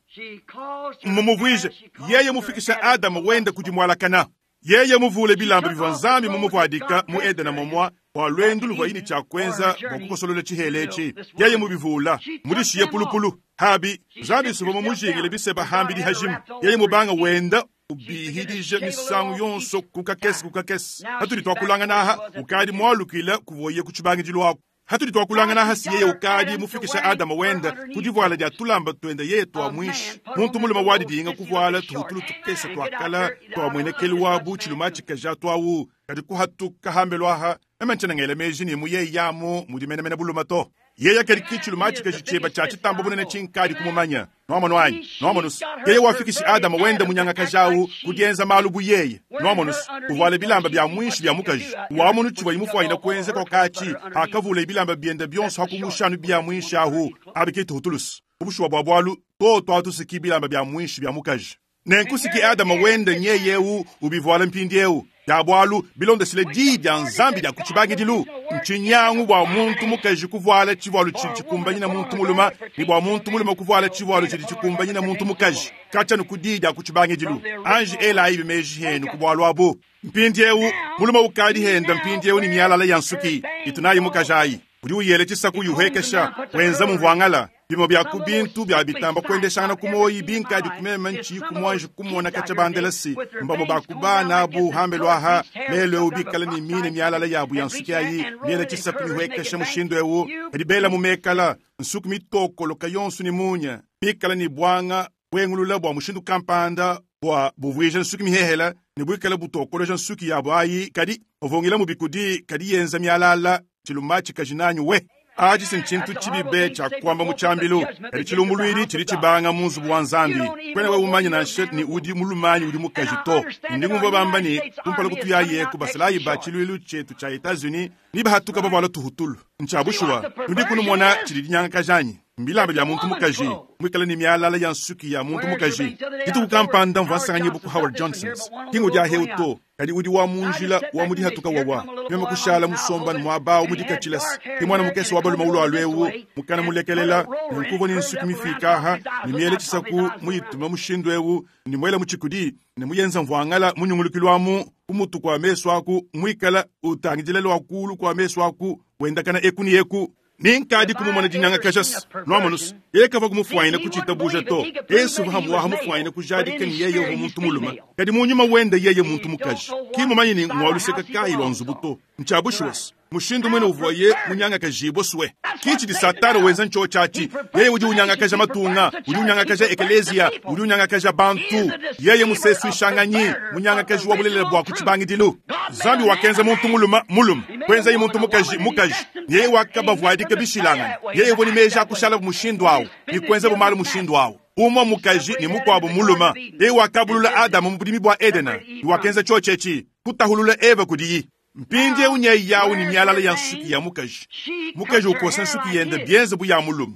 Mmumuvuije yeye mufikisha Adama wenda kudi mualakana. Yeye muvule bilamba bivua Nzambi mumuvuadika mu Edena momua bua lwendu luvua yini tshia kuenza bua kukosolola tshihela etshi. Yeye mubivula, mudishiye pulupulu. Habi, Nzambi suvua mumujingile biseba hambidi hajima. Yeye mubanga wenda ubihidija misangu yonso kukakese kukakese. Hatudi twakulangana aha, ukadi mwalukila kuvoye ku tshibangidilu ako. Hatudi twakulangana aha si yeye ukadi mufikisha Adama wenda kudivuala dia tulamba twenda yeye twa mwishi. Muntu mulume wadidinga kuvuala tuhutulu tukese twakala twamwenekelu wabu tshiluma tshikaja twawu. Kadi kuhatuka hambelu aha, eme ntshena ngela meji ne mu yeye yamu mudi menemene buluma to. Yeye kadi ki tshiluma tshikaji tshieba tshia tshitamba bunene tshinkadi kumumanya. Nuamono anyi? Nuamonusu. Yeye wafikishi Adama wenda munyangakajawu kudienza malu bu yeye. Nuamonusu. Uvuala bilamba bia mwishi bia mukaji. Wamonu tshivua imufuanyina kuenza kokatshi, akavula bilamba bienda bionso hakumushanu bia mwishi ahu. Abi tuhutulusu. Ubushuwa bua bualu, to twatusiki bilamba bia mwishi bia mukaji. Nenkusiki Adama wenda nyeyewu ubivuala mpindiewu. Ya bualu bilondeshile diyi dia Nzambi dia ku tshibangidilu. Ntshinyangu bua muntu mukaji kuvuala tshivualu tshidi tshikumbanyina muntu mulume, ne bua muntu mulume kuvuala tshivualu tshidi tshikumbanyina muntu mukaji. Katshia ku diyi dia ku tshibangidilu. Anji elayi bimeji henu ku bualu abu. Mpindiewu, mulume ukadi henda mpindiewu ni mialala ya nsuki, itunayi mukaji ayi. Udi uyele tshisaku yuhekesha, wenza mumvuangala. Bimo bia ku bintu bia bitamba kuendeshangana ku moyi binkadi kumema ntshi ku mwanji kumona katshia bandela si. Mbamo ba ku bana abu hambelu aha, lelo ewu bikala ne mine mialala yabu ya nsuki ayi, miele tshisaku mihuekesha mushindu ewu. Kadi bela mu mekala, nsuki mitokoloka yonso ne munya, bikala ne bwanga bwengulula bua mushindu kampanda bua buvuija nsuki mihehela, ne buikala butokoloja nsuki yabu ayi, kadi bavungila mu bikudi, kadi yenza mialala, tshiluma tshikaji nanyu we. Aji si ntshintu tshibibe tshia kuamba mu tshiambilu, kadi tshilumbuluidi tshidi tshibanga mu nzubu wa Nzambi. Kwena wewe umanye nansha ni udi mulumanyi udi mukaji to. Ndi ngumvua bamba ni kumpala kutuyaye ku basalayi ba tshiluilu tshietu tshia Etats-Unis, ni bahatuka bavuala tuhutulu. Ntshia bushuwa, nudi kunumona tshidi dinyangakaja anyi? Mbilamba bya muntu mukaji mwikala ni myalala ya nsuki ya muntu mukaji dituku kampanda mvua nsanganyibwa ku Howard Johnson's kingo dia heuto kadi udi wa munjila wa mudihatuka wawa meme kushala musomba mwabao mudikachilasi ke mwana mukese wa baluma ulwa lwewu mukana mulekelela nkuvo ni nsuki mifika ni miele chisaku muyituma mushindu ewu ni mwela muchikudi ni muyenza mvwangala munyungulukilwamu kumutu kwa meso aku mwikala utangijilelo akulu kwa meso aku wendakana eku ni eku ninkadi kumumona dinyanga kajas nwamonus yekava kumufwaina kuchita to yesu vahamuwaha mufwaina kujadika ni yeye uvo muntu muluma kadi munyuma wenda yeye muntu mukaji kimumanyi ni ngwaluseka kayi lwa nzubu to nchabushuwasi mushindu mwene uvoye munyanga kajibwa suwe kichi di satana wenza ncho chachi yeye udi unyanga kaja matunga udi unyanga kaja ekelezia udi unyanga kaja bantu yeye musesu ishanganyi munyanga kaji wa bulele bwa kuchibangidilu zambi wakenza muntu muluma muluma kwenza yi muntu mukaji mukaji yeye wakabavwadika bishilangana yeye boni meja akushala mushindu awo ni kwenza bumalu mushindu awo umwe mukaji ni mukwabo muluma yeye wakabulula Adamu mu budimi bwa Edena ni wakenza chochechi kutahulula Eva kudiyi mpindi unye yawu ni myalala ya nsuki ya mukaji mukaji ukosa nsuki yende bienze bu ya muluma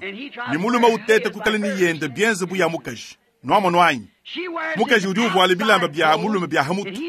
ni muluma utete kukala ni yende bienze bu ya mukaji nwamo nwanyi mukaji udi uvuala bilamba bya muluma bya hamutu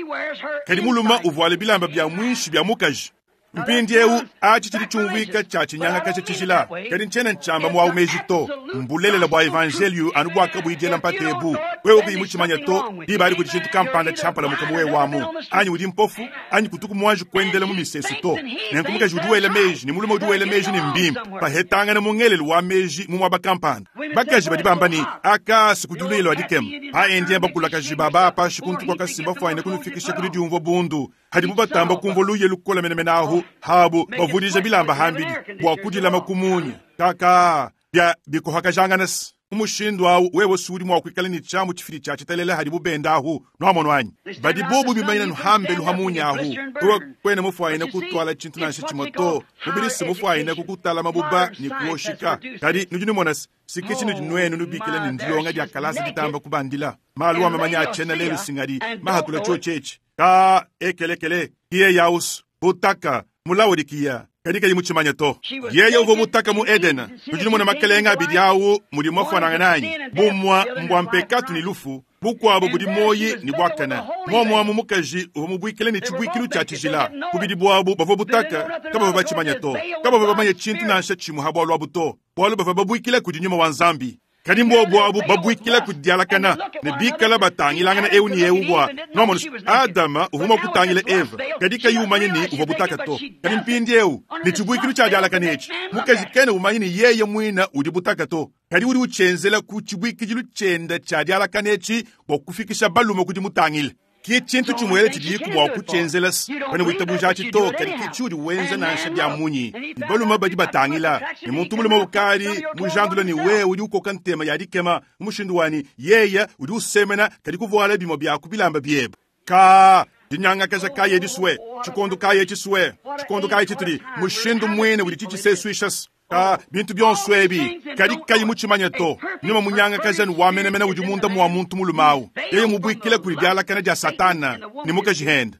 kadi muluma uvuala bilamba bya mwinshi bya mukaji mpindi ewu achi chili chumvika cha chinyanga kacha chishila kadi nchena nchamba mwa umeji to mbulelela bwa evangelio anu bwaka buijela mpatebu wewe kuyimuchimanya to dibali kuti chintu kampanda champala mukamu we wamu anyi udi mpofu anyi kutuku mwanji kuendela mu misesu to nenku mukaji udi wela meji ni mulume udi wela meji ni mbimpa pahetangana mungelelu wa meji mu mwaba kampanda bakaji badi bamba ni akasi kudulilo adikema aendiye bakulakaji baba apashi kuntu kwa kasimba fwaine kunufikisha kuli diumvo bundu hadi mubatamba kumvo luye lukola menemenahu habu bavudija bilamba hambidi bwa kudilama kumunya kaka bya bikuhakajanganasi umushindu awu wewe sudi mwakwikala ni chamu chifili cha chitalela hadi bubendahu nwamono anyi badi bobu bimanyina nuhambe luhamunyahu tuwa kwene mufwaine kutwala chintu nansha chimoto mubili mufwaine kukutala mabuba ni kuoshika kadi nudi numonasi sikichi nudi nwenu nubikila ni ndilonga dia kalasa ditamba kubandila malu wamamanya achena lelu singadi mahatula chochechi ka ekelekele kiye yausu butaka mulawodikiya kadi kayi muchimanya to yeye uvo butaka mu Edena nudi mona makelenga abidi awu mudi mwafananga nanyi bumwa mbwa mpekatu ni lufu bukwabo budi moyi ni bwakana mwamwamu mukaji uvo mubwikile ni chibwikilu cha chijila kubidi bwabu bavo butaka kabava bachimanya to kabava bamanya chintu nansha chimu habwalwa buto bwalu bava babwikile kudi nyuma wa nzambi kadi mbwa bwabu babwikila kudialakana ne bikala batangilangana ewu ni ewu bwa nomono Adama uvuma kutangila Eva kadi kayi umanye ni uvwa butaka to kadi mpindi ewu ni chibwikilu cha dialakana echi mukaji kene umanye ni yeye mwina udi butaka to kadi udi uchenzela ku chibwikijilu chenda cha dialakana echi bwa kufikisha balume kudi mutangile ki chintu chimwele chidiku bwa kuchenzela pane witabuja chito kadi kichudi wenza nansha bya munyi ni baluma badi batangila ni muntu muluma ukali mujandula ni wewe udi ukoka ntema ya dikema mushindu wani yeye udi usemena kadi kuvuala bimo bya kubilamba byebe ka dinyanga kaja kaye diswe chikondo kaye chiswe chikondo kaye chituli mushindu mwene udi chichisesuishas ka bintu byonso ebi kadi kayi muchimanya to nyuma munyanga kajani wamenemene udi munda mwa muntu mulumawu yeye mubwikile kuli dialakana dia satana ni mukajihenda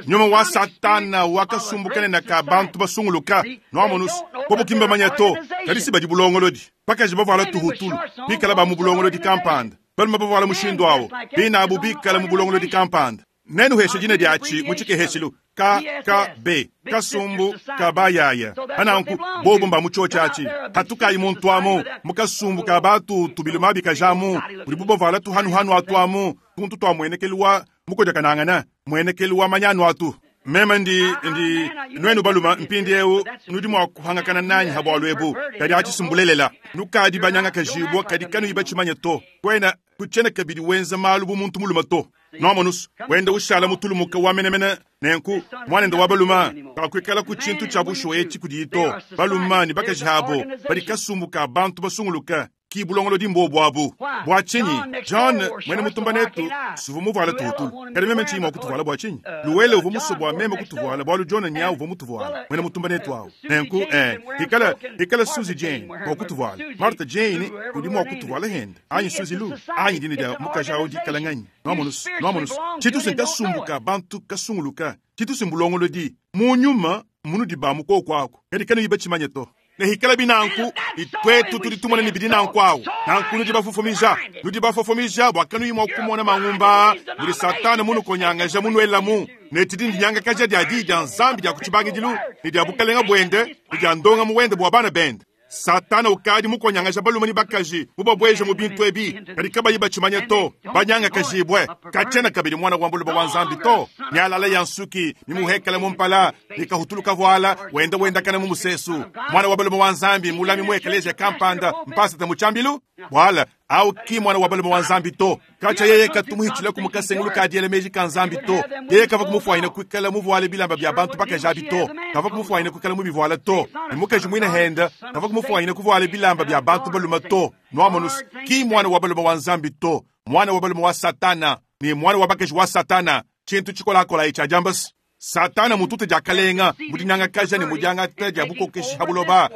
nyuma wa satana wakasumbukane na ka bantu basunguluka nwamonusu bobukimba manya to kadi si badi bulongolodi pakaji bavuala tuhutulu bikala ba mu bulongolodi kampanda baluma bavuala mushindu awo binabu bikala mu bulongolodi kampanda nenu heshe jina diachi muchikeheshilu K K B kasumbu kabayaya ananku bobo mba muchochachi hatukayi muntu amu mukasumbu kabatu tubiluma bikajamu buli bubovala tuhanuhanu atu amu tuntu twa mwenekeliwa mukojakanangana mwenekeliwa manyanu atu meme ndi ndi nwenu baluma mpindi ewu nudi mwa kuhangakana nanyi habwalu ebu kadi achisimbulelela nukadi banyanga kajibwa kadi kanu iba chimanya to kwena kuchena kabidi wenza malu bu muntu muluma to nomonusu wenda ushala mutulumuka wamenemene nenku mwanende wa baluma kakwikala ku chintu cha bushuwa echi kudi ito baluma ni bakaji habo bali kasumbuka bantu basunguluka ki bulongolo dimbo bwabu bwa chinyi John mwene mutumba netu suvu muvuala tuhutulu kadi meme nchima okutuvuala bwa chinyi luwele uvu musobwa meme kutuvuala bwalu John nya uvu mutuvuala mwene mutumba netu awu nenku eh ikala ikala Suzy Jane okutuvuala Martha Jane udi mwa kutuvuala henda anyi Suzy Lu anyi dini dia mukaji awu dikala nganyi nomonus nomonus chitu sinkasumbuka bantu kasunguluka chitu simbulongolo di munyuma munu dibamu kokwako kadi kanu iba chimanya to Ne hikala binanku, itwetu tudi tumona ne bidi nanku awu. Nanku nudi bafofomija, nudi bafofomija bua kanuyi mua kumona mangumba, mudi Satana munukonyangaja munuelamu. Ne tshidi ndinyangakaja dia diyi dia Nzambi dia ku tshibangidilu, ne dia bukalenga buende, ne dia ndongamu wende bua bana bende. Satana ukadi mukonyangaja balume ne bakaji mubabweje mu bintu ebi, kadi kabayi batshimanya to, banyangakajibwe. Katshiena kabidi mwana wa mbuluba wa Nzambi to. Mialala ya nsuki mimuhekele mu mpala, ne kahutulu kavuala, wenda wendakana mu musesu. Mwana wa balume wa Nzambi mulami mu eklezia kampanda mpasata mu tshiambilu. Bwala au ki mwana wa balume wa Nzambi to. Katsha yeye katumuhitshila ku mukasengulu ka diela meji ka Nzambi to. Yeye kava kumufuanyina kuikala muvuale bilamba bia bantu bakaji to. Kava kumufuanyina kuikala mubivuala to. Ne mukaji muine henda kava kumufuanyina kuvuala bilamba bia bantu balume to. Nwamonus ki mwana wa balume wa Nzambi to. Mwana wa balume wa Satana ni mwana wa bakaji wa Satana. Tshintu tshikolakola etshi ajambas. Satana mutute diakalenga mudinyangakaja ne mudiangata dia bukokeshi ha buloba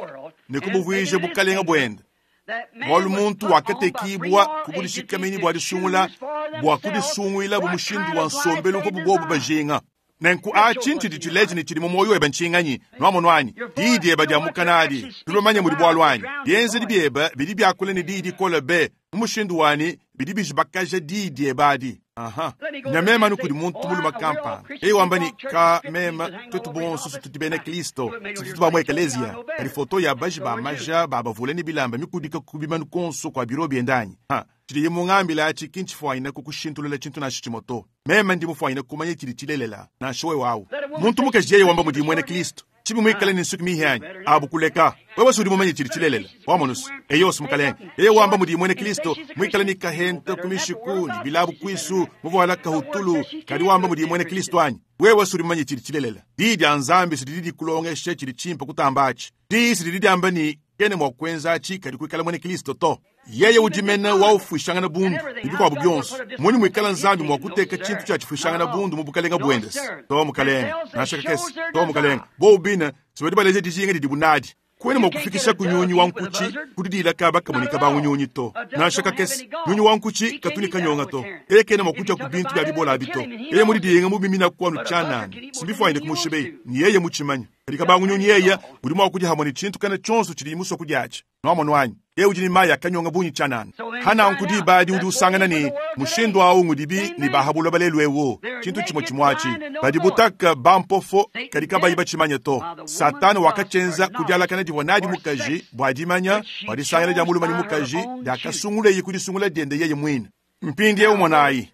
ne kubuvuije bukalenga buende. Bualu muntu wakatekibwa kubudishikameni bua disungula bua kudisunguila bu mushindu wa nsombelu uvu bobu bajinga. Nenku atshi ntshidi tshileja ne tshidi mu muoyo webe ntshinganyi, nwamonu anyi, diyi diebe dia mukanadi, tulomanye mudi bualu anyi. Bienzedi biebe bidi biakula ne diyi dikole be, mu mushindu wanyi bidi bijibakaja diyi diebe adi. Aha. Nyamema anu kudi muntu mulume kampanda. Yeye wamba ni ka mema twetu bonso tudi bena Kristo, tutu ba mu eklezia. Kadi foto ya baji ba maja ba bavule ne bilamba mikudika ku bimanu konso kwa biro biendanyi. Ha. Tshidi mungambila atshi kintshifuanyina kukushintulula tshintu nansha tshimue to. Meme ndi mufuanyina kumanya tshidi tshilelela, nansha wewe awu. Muntu mukaji yeye wamba mudi muena Kristo. Tshibi muikale ne nsuki mihianyi, abu kuleka. Wewe udi mumanye tshidi tshilelela. Wamonusu, eyo mukalenge. Yeye wamba mudi muena Kristo, muikale ne kahenta ku mishiku, ne bilabu kuisu, muvuala kahutulu, kadi wamba mudi muena Kristo anyi. Wewe udi mumanye tshidi tshilelela. Diyi dia Nzambi sididi dikulongesha tshidi tshimpe kutamba atshi. Diyi sididi diamba ni kene mua kuenza atshi kadi kuikala muena Kristo to. Yeye udi mena waufwishangana bundu bikuabu bionso. Munyi muikala Nzambi mua kuteka tshintu tshia tshifwishangana bundu mu bukalenga buende. To mukalenge, nansha kakese, to mukalenge. Bo ubina sibadi baleje dijinga didi bunadi. Kwene mua kufikisha ku nyunyi wa nkuchi kudidila kaba kamunika ba nyunyi to. Nansha kakese, nyunyi wa nkuchi katuni kanyonga to. Yeye kene mua kuja ku bintu bya bibola bito. Yeye mudidiyenga mu bimina kwanu chanani. Simbifwanyine kumushibei, ni yeye muchimanya. Kadi kabangu nyunyi yeye udi mua kuja hamwe ni tshintu kana tshonso tshidi muso kudiachi. Nwamonu anyi. Yeye udi ni maya kanyonga bunyi chanani. Hana nkudi badi udi usangana ni mushindu awu ngudibi ni bahabulwa balelu ewo. Tshintu tshimwe tshimwachi. Badi butaka bampofo kadi kabayi bachimanya to. Satana wakachenza kudialakana divua nadi mukaji bua dimanya bua disangana dia mulume ni mukaji diakasungula kudisungula diende yeye mwine. Mpindi ewu mwanayi.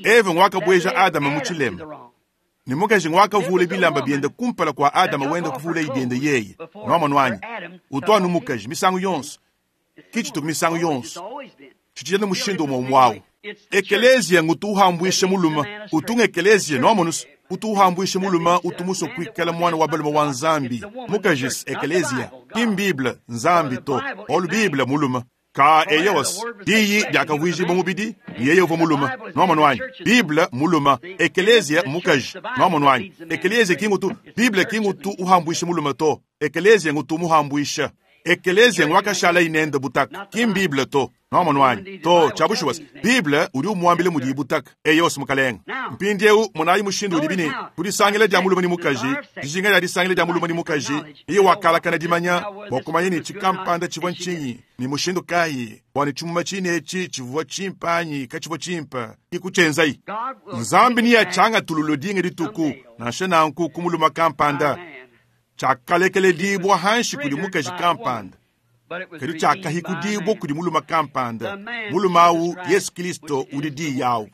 Eva ngwakabweja Adama mu tshilema. Ni mukaji ngwakavula bilamba biende kumpala kwa Adama wenda kuvula ibiende yeye. Nwamonu anyi. Utwanu mukaji misangu yonso. Kichitu misangu yonso. Tshitshijana mushindu umwe umwawu. Ekelezia ngutuhambwishe muluma. Utunga ekelezia nwamonus. Utuhambwishe muluma utumuso kuikala mwana wa balume wa Nzambi. Mukaji ekelezia. Kim Bible Nzambi to. Olu Bible muluma. Ka eyos diyi diakavwijibwa mubidi yeye uva muluma. Nwamonu anyi. Bible muluma. Ekelezia mukaji. Nwamonu anyi. Ekelezia kingutu Bible kingutu uhambwishe muluma to. Ekelezia ngutu muhambwisha. Ekelezia ngwakashala inende butaka. Kim Bible to. Nwamonu anyi. To chabushuwas. Bible udi umuambile mudi butaka. Eyos mukalenga. Mpindi eu munayi mushindu udi bine. Kudisangila dia mulume ni mukaji. Dijinga dia disangila dia mulume ni mukaji. Iye wakalakana dimanya bua kumanya ni chikampanda chivua nchinyi. Ni mushindu kayi bua ni chimuma chine echi chivua chimpanyi kachivua chimpa. Ikuchenzai. Nzambi ni yachanga tululu dinga dituku. Nansha nanku kumuluma kampanda. Chakalekele dibwa hanshi kudi mukaji kampanda. Kadi chakahikudibwa kudi muluma kampanda. Muluma awu Yesu Kristo udi di yawu.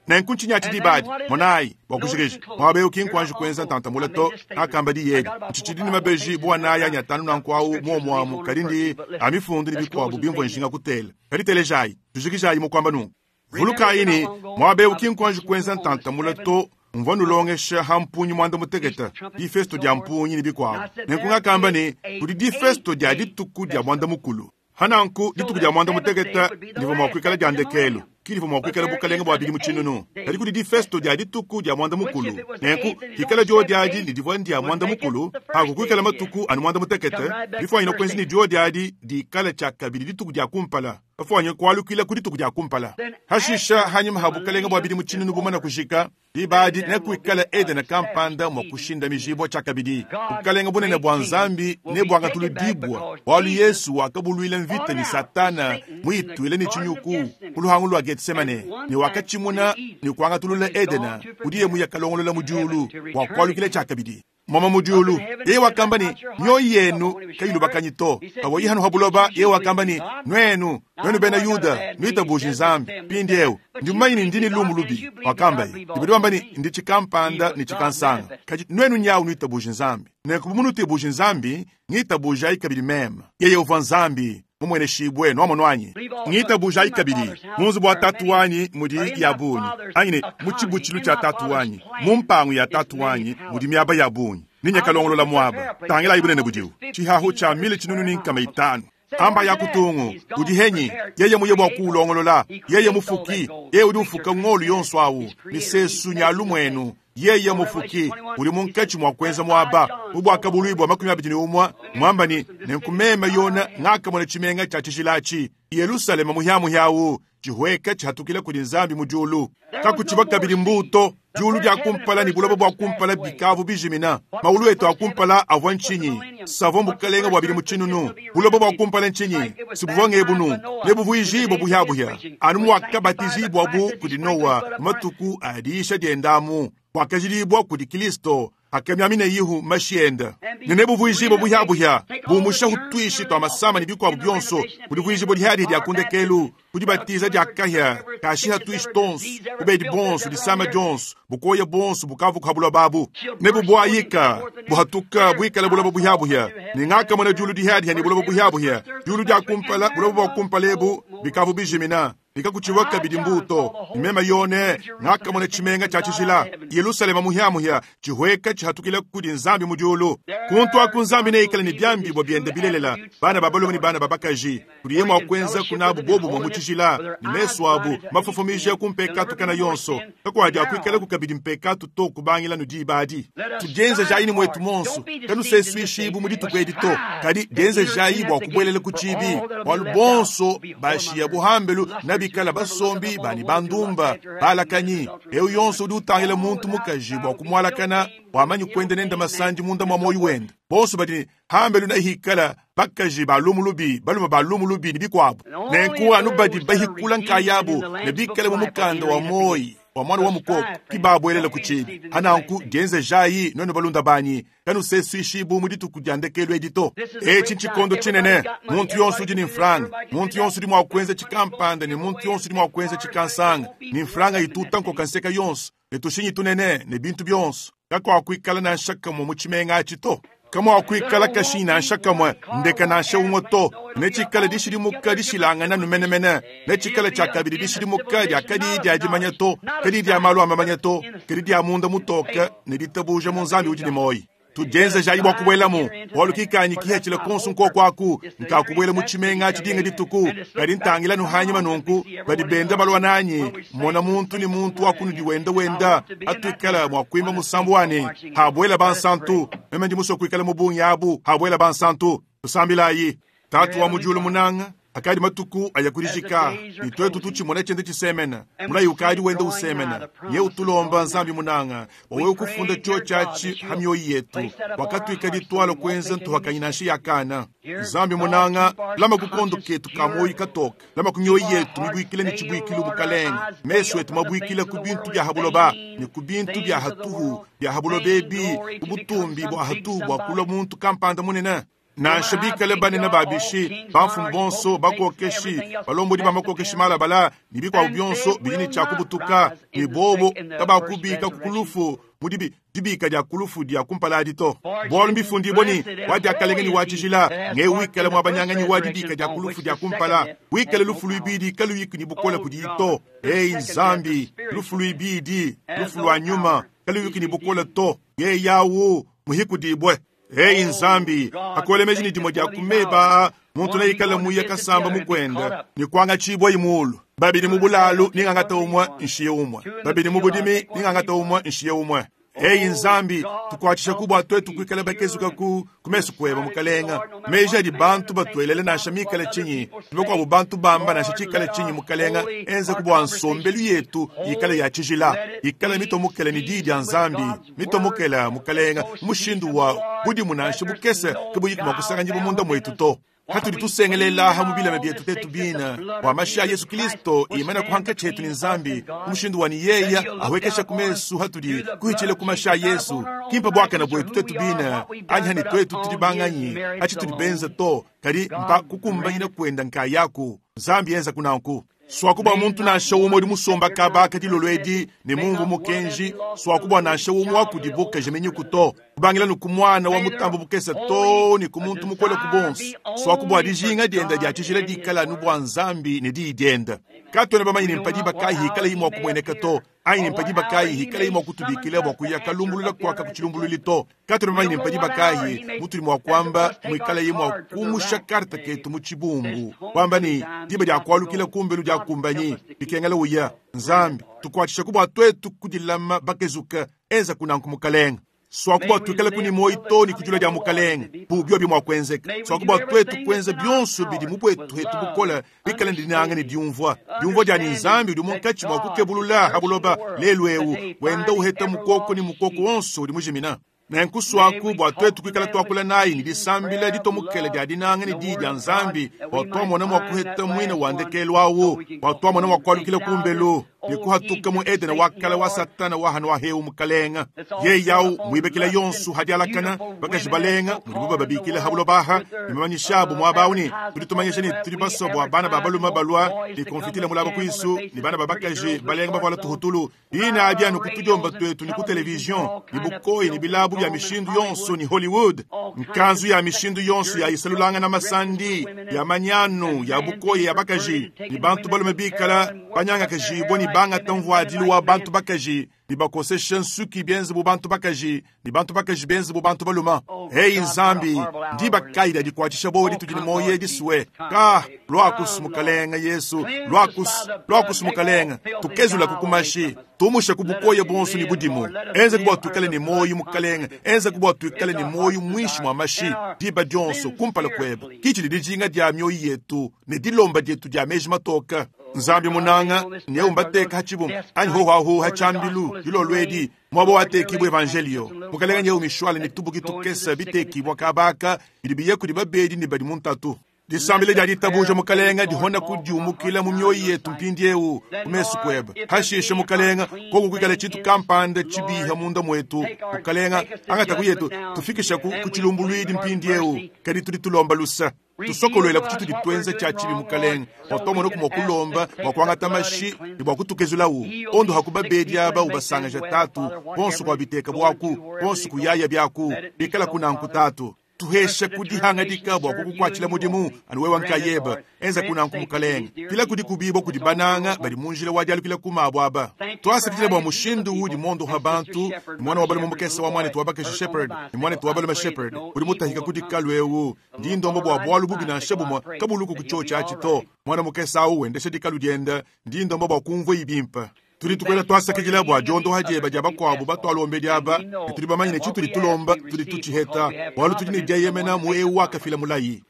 Nenku ntshinyi dibadi monayi bua kushikisha mwabe ukinkwanje kuenza ntantamula to akamba di yedi ntshitshidi ni mabeji bua naya nya tanu nanku awu muomuamu kadi ndi amifundu ni bikuabu bimvua nshinga kutela kadi telejayi tujikijayi mukwamba nunku vulukayi ni mwabe ukinkwanje kuenza ntantamula to mvua nulongesha ha mpunyi mwanda muteketa difesto dia mpunyi ni bikuabu nenku ngakamba ni kudi difesto dia dituku dia mwanda mukulu hananku dituku dia mwanda muteketa ndivua mua kuikala dia ndekelu. Ki divua mua kuikala bukalenge bua bidimu tshinunu, kadi kudi difesto dia dituku dia muanda mukulu. Nenku hikala diodi adi ne divua ndia muanda mukulu, haku kuikala matuku anu muanda mutekete, bifuanyine kuenza ne diodi adi dikala tshiakabidi dituku dia kumpala, bafuanyine kualukila ku dituku dia kumpala. Hashisha hanyima ha bukalenge bua bidimu tshinunu bumana kujika, diba adi nekuikala Edene kampanda mua kushindamijibua tshiakabidi. Bukalenge bunene bua Nzambi nebuangatuludibua, bualu Yesu wakabuluila mvita ne Satana muyituile ne tshinyuku ku luhangu lua Getsemane, ne wakatshimuna ne kuangatulula Edene kudiye muyakalongolola mu diulu bua kualukila tshiakabidi. Mama mu diulu, yeye wakamba ne mioyo yenu kayilubakanyi to. Pavua yeye hano ha buloba, yeye wakamba ne nuenu, nuenu bena Yuda, nuitabuji Nzambi. Mpindieu ndi mumanye ne ndi ne lumu lubi, wakamba ye. Badi bamba ne ndi tshikampanda ne tshikansanga, kadi nuenu nyawu nuitabuji Nzambi. Nenku bu munutibuji Nzambi, ngitabujayi kabidi meme. Yeye uvua Nzambi mumueneshibue nuamono anyi. Ngitabujayi kabidi mu nzubu wa tatu wanyi mudi ya bungi, anyi ne mu tshibutshilu tshia tatu wanyi, mu mpangu ya tatu wanyi mudi miaba ya bungi. Ninyakalongolola muaba. Tangilayi bunene budiwu, tshihahu tshia mile tshinunu ne nkama itanu. Amba ya kutungu udi henyi, yeye muye bua kuulongolola, yeye mufuki, yeye udi ufuka ngolu yonso awu, misesu nya lumwenu. Yeye mufuki udi munkatshi mua kuenza muaba mu bwakabuluibua makumi abidi ne umwe mwamba ni nenku meme Yona ngakamona tshimenga tshia tshijila atshi Yerusalema muhyamuhyawu tshihweka tshihatukila kudi Nzambi mu diulu. Kakutshiba kabidi mbuto. Diulu dia kumpala ne buloba bua kumpala bikavu bijimina. Maulu etu a kumpala avua ntshinyi? Savua bukalenge bua bidimu tshinunu. Buloba bua kumpala ntshinyi? Sibuvua ngebunu nebuvuijibua buhyabuhya anu muakabatijibwabu kudi Noa mu matuku a diisha diendamu, buakajidibua kudi Kristo akamiamina yihu mashi enda, ne nebuvuijibua buhyabuhya bumusha hutwishi twa masama ne bikuabu bionso. Kudivuijibua dihadihi dia kundekelu kudibatiza dia kahya kashiha twishi tonso, kubedi bonso, disama dionso, bukoya bonso bukavu kuhabulwa babu nebubuayika buhatuka buikala buloba buhyabuhya. Ne ngakamona diulu dihadiha ne buloba buhyabuhya. Diulu dia kumpala, buloba bua kumpala ebu bikavu bijimina, bikakutshiwa kabidi mbuto. Meme Yone ngakamona tshimenga tshia tshijila Yerusalema muhyamuhya tshihweka tshihatukila kudi Nzambi mu diulu. Kuntu aku Nzambi neikale ne biambibua biende bilelela, bana ba balume ne bana ba bakaji, kudiye mua kuenza kunabu bobumue mu tshijila, ne mesu abu mafofomija ku mpekatu kana yonso. Kakuadi akuikalaku kabidi mpekatu to kubangila nu diba adi. Tudienzejayi ne mwetu monso, kanusesuishibu mu dituku edi to, kadi dienzejayi bua kubuelela ku tshibi, bualu bonso bashiya buhambelu nabikala basombi bani bandumba balakanyi. Eu yonso udi utangila muntu mukaji bua kumualakana wamanyi kuenda nenda masandi munda mua moyo wenda. Bonso badi hambelu nahikala bakaji ba lumu lubi, balume ba lumu lubi ne bikuabu. Nenku anu badi bahikula nkayabu ne bikale mu mukanda wa moyi wa mwana wa mukoko kibabuelela ku tshibi. Hananku dienzejayi nuenu balunda banyi, kanusesuishibu mu dituku dia ndekelu edi to. Etshi ntshikondo tshinene. Muntu yonso udi ne mfranga, muntu yonso udi mua kuenza tshikampanda, ne muntu yonso udi mua kuenza tshikansanga, ne mfranga ituta nkoka nseka yonso, ne tushinyi tunene ne bintu bionso. Kakuakuikala nansha kamwe mu tshimenga atshi to, kamuakuikala kashinyi nansha kamwe, ndeka nansha umwe to. Netshikale dishidimuka dishilangana numenemene, netshikale tshiakabidi dishidimuka dia kadi dia dimanya to, kadi dia malu a mamanya to, kadi dia munda mutoka ne ditabuja mu Nzambi udi ne moyi. Tudienzejayi bua kubuelamu, bualu kikanyi kihatshila konso nkoko aku nkakubuela mu tshimenga tshidinga dituku. Kadi ntangila nuhanyima nunku badi benda balua nanyi, mona muntu ne muntu wakunudi wenda wenda atuikala mua kuimba musambu wani habuela bansantu. Meme ndi musue kuikala mu bungi abu habuela bansantu. Tusambilayi. Tatu wa mu diulu munanga, akadi matuku aya kudijika, ne twetu tutshimona tshiende tshisemena, mulayi ukadi wenda usemena. Nye utulomba Nzambi munanga, wawe kufunda chio tshiatshi ha mioyo yetu, wakatuikadi twala kuenza ntuhakanyi nansha yakana. Nzambi munanga, lama kukondo ketu ka moyi katoka, lama ku mioyo yetu mibuikile ne tshibuikilu bukalenge, mesu etu mabuikile ku bintu bya habuloba ne ku bintu bya hatuhu bya habuloba ebi, ku butumbi bua hatuhu bua kulua muntu kampanda munene. Nansha bikale banene babishi, bamfumu bonso, bakokeshi, balombodi ba makokeshi malabala ne bikuabu bionso bidi ne tshiakubutuka, ne bobo kabakubika ku kulufu mu dibi dibika dia kulufu dia kumpala adi to. Bualu mbifundibua ni wa diakalenga ni wa tshijila nge wikale muabanyanganyi wa dibika dia kulufu dia kumpala, wikale lufu luibidi kaluyiki ni bukole kudi to. Ei Nzambi, lufu luibidi, lufu lua nyuma, kaluyiki ni bukole to, ye yawu muhikudibwe. Ei Nzambi, akolemeji ni dimue dia kumeba Muntu neikale muye kasamba mukwenda ne kuangatshibua imulu. Babidi mu bulalu ningangata umwe nshiye umwe. Babidi mu budimi ningangata umwe nshiye umwe. Eyi Nzambi tukwatshisha kubwa twetu kuikala bakezuka ku kumesu kweba mukalenga. Meji adi bantu batwelele nansha mikale chinyi. Tubekwabo bantu bamba nansha chikale chinyi mukalenga. Enze kubwa nsombelu yetu ikale ya chijila. Ikale mitomukele ni didi ya Nzambi. Mitomukele mukalenga mushindu wa budimu nansha bukese kubuyi kumakusanga munda mwetu to. Hatuli tusengelela hamu bila byetu tetu bina wa mashi ya Yesu Kristo imana kuhanka chetu ni Nzambi umushindu wa ni yeya awekesha kumesu hatuli kuhichile kumasha Yesu kimpa bwaka na bwetu tetu bina anyi hani twetu tulibanganyi achi tulibenza to kali mpa kukumbanyina kwenda nkayaku Nzambi yenza kunanku swakubwa muntu nansha umwe udi musomba kabaka dilolo edi ne mumvu mukenji swakubwa nansha umwe wakudibuka jemenyiku to kubangila nuku mwana wa mutambo bukesa to ni ku muntu mukole ku bonso swakubwa dijinga dienda dia tshijila dikala nu bua Nzambi ne diyi dienda katwena bamanyi ne mpadi bakayi hikala imwe kumweneka to anyi ne mpadi bakayi hikala imwe kutubikila bua kuya kalumbulula kwaka kuchilumbululi to katwena bamanyi ne mpadi bakayi mutuli mwa kwamba mwikala imwe kumusha karta ketu mu chibumbu kwamba ni diba dia kwalukila kumbelu dia kumbanyi bikengela uya Nzambi tukwatshisha kubwa twetu kudilama bakezuka enza kunanku mukalenga swakubwa twikale kuni moyi to ni kujula dia mukalenga bubyo bimwa kwenzeka swakubwa twetu kwenza byonso bidi mu bwetu hetu bukola bikale ndinanga ni diumvwa diumvwa dia ni Nzambi udi munkatshi mwa kukebulula habuloba lelu ewu wenda uheta mukoko ni mukoko wonso udi mujimina nenkuswaku bua twetu kuikala twakula nayi ni disambila ditomukela dia dinanga ni diyi dia Nzambi bua twamona mwa kuheta mwina wa ndekelu awu bua twamona mwa kualukila kumbelu ni kuhatuka mu Edene wakala wa Satana wa hanu wa heu mukalenga ye yawu mwibekela yonsu hadialakana bakaji balenga mudibu bababikila habulobaha ni mamanyishabu mwabawu tudi tumanyisha ni tudi baso bua bana ba baluma balwa ni konfitila mulaba kwisu ni bana babakaji balenga bavala tuhutulu ina abyanu kutudiomba twetu ni ku television ni bukoyi ni bilabu ya mishindu yonso ni Hollywood nkanzu ya mishindu yonso ya isalulanga na masandi ya manyanu ya bukoyi ya bakaji ni bantu balume bikala banyanga kajibwa ni banga tamvuadilu wa bantu bakaji ni bakosesha nsuki benze bu bantu bakaji ni bantu bakaji benze bu bantu baluma. Hey Nzambi ndi bakaida dikwatshisha bo ditudi ni moye diswe ka lwakus mukalenga Yesu lwakus lwakus mukalenga tukezula kukumashi tumusha kubukoye bonso ni budimu enze kubwa tukale ni moyo mukalenga enze kubwa tukale ni moyo mwishi mwa mashi diba dionso kumpala kweba kichi lidijinga dia mioyo yetu ne dilomba dietu dia meji matoka Nzambi munanga ne umbateka hachibu anyi ho ho hachambilu dilolwedi mwabo watekibwa evangelio mukalenga nye umishwale ni tubuki tukesa bitekibwa kabaka bidibiye kudi babedi ni badi muntatu disambile dia ditabuja mukalenga dihona kudiumukila mu mioyo yetu mpindi ewu kumesu kweba hashishe mukalenga koku kuikala chitu kampanda chibiha munda mwetu mukalenga angataku yetu tufikisha ku kuchilumbulwidi mpindi ewu kadi tudi tulomba lusa tusokolwela kuchitu ditwenza cha chibi mukalenga watomona kumwa kulomba wakwangata mashi ni bwa kutukezulawu ondo hakubabedi aba ubasanga tatu bonso kwa biteka bwaku bonso kuyaya byaku bikala kunanku tatu tuhesha kudihangadika bwa kukukwatshila mudimu anu wewa nkayeba enza kunanku mukalenga pila kudi kubibo kudi bananga bali munjila wadialukila kumabo aba twasakitila bwa mushindu udi mondo ha bantu ni mwana wa balume mukesa wa mwana tuwabakaji Shepherd ni mwana tuwabalume Shepherd udi mutahika kudi kalu ewu ndi ndombo bwa bwalu bubi na nshabumwa kabuluku kuchocha achito mwana mukesa awu wendesha dikalu dienda ndi ndombo bwa kumvwa ibimpa tuli tukwela twasakidila bwa diondo hadieba dia bakuabu batwalombe diaba ne tuli bamanyine tshituli tulomba tuli tutshiheta bwalu tudi ne dieyemena mu ewu wakafila mulayi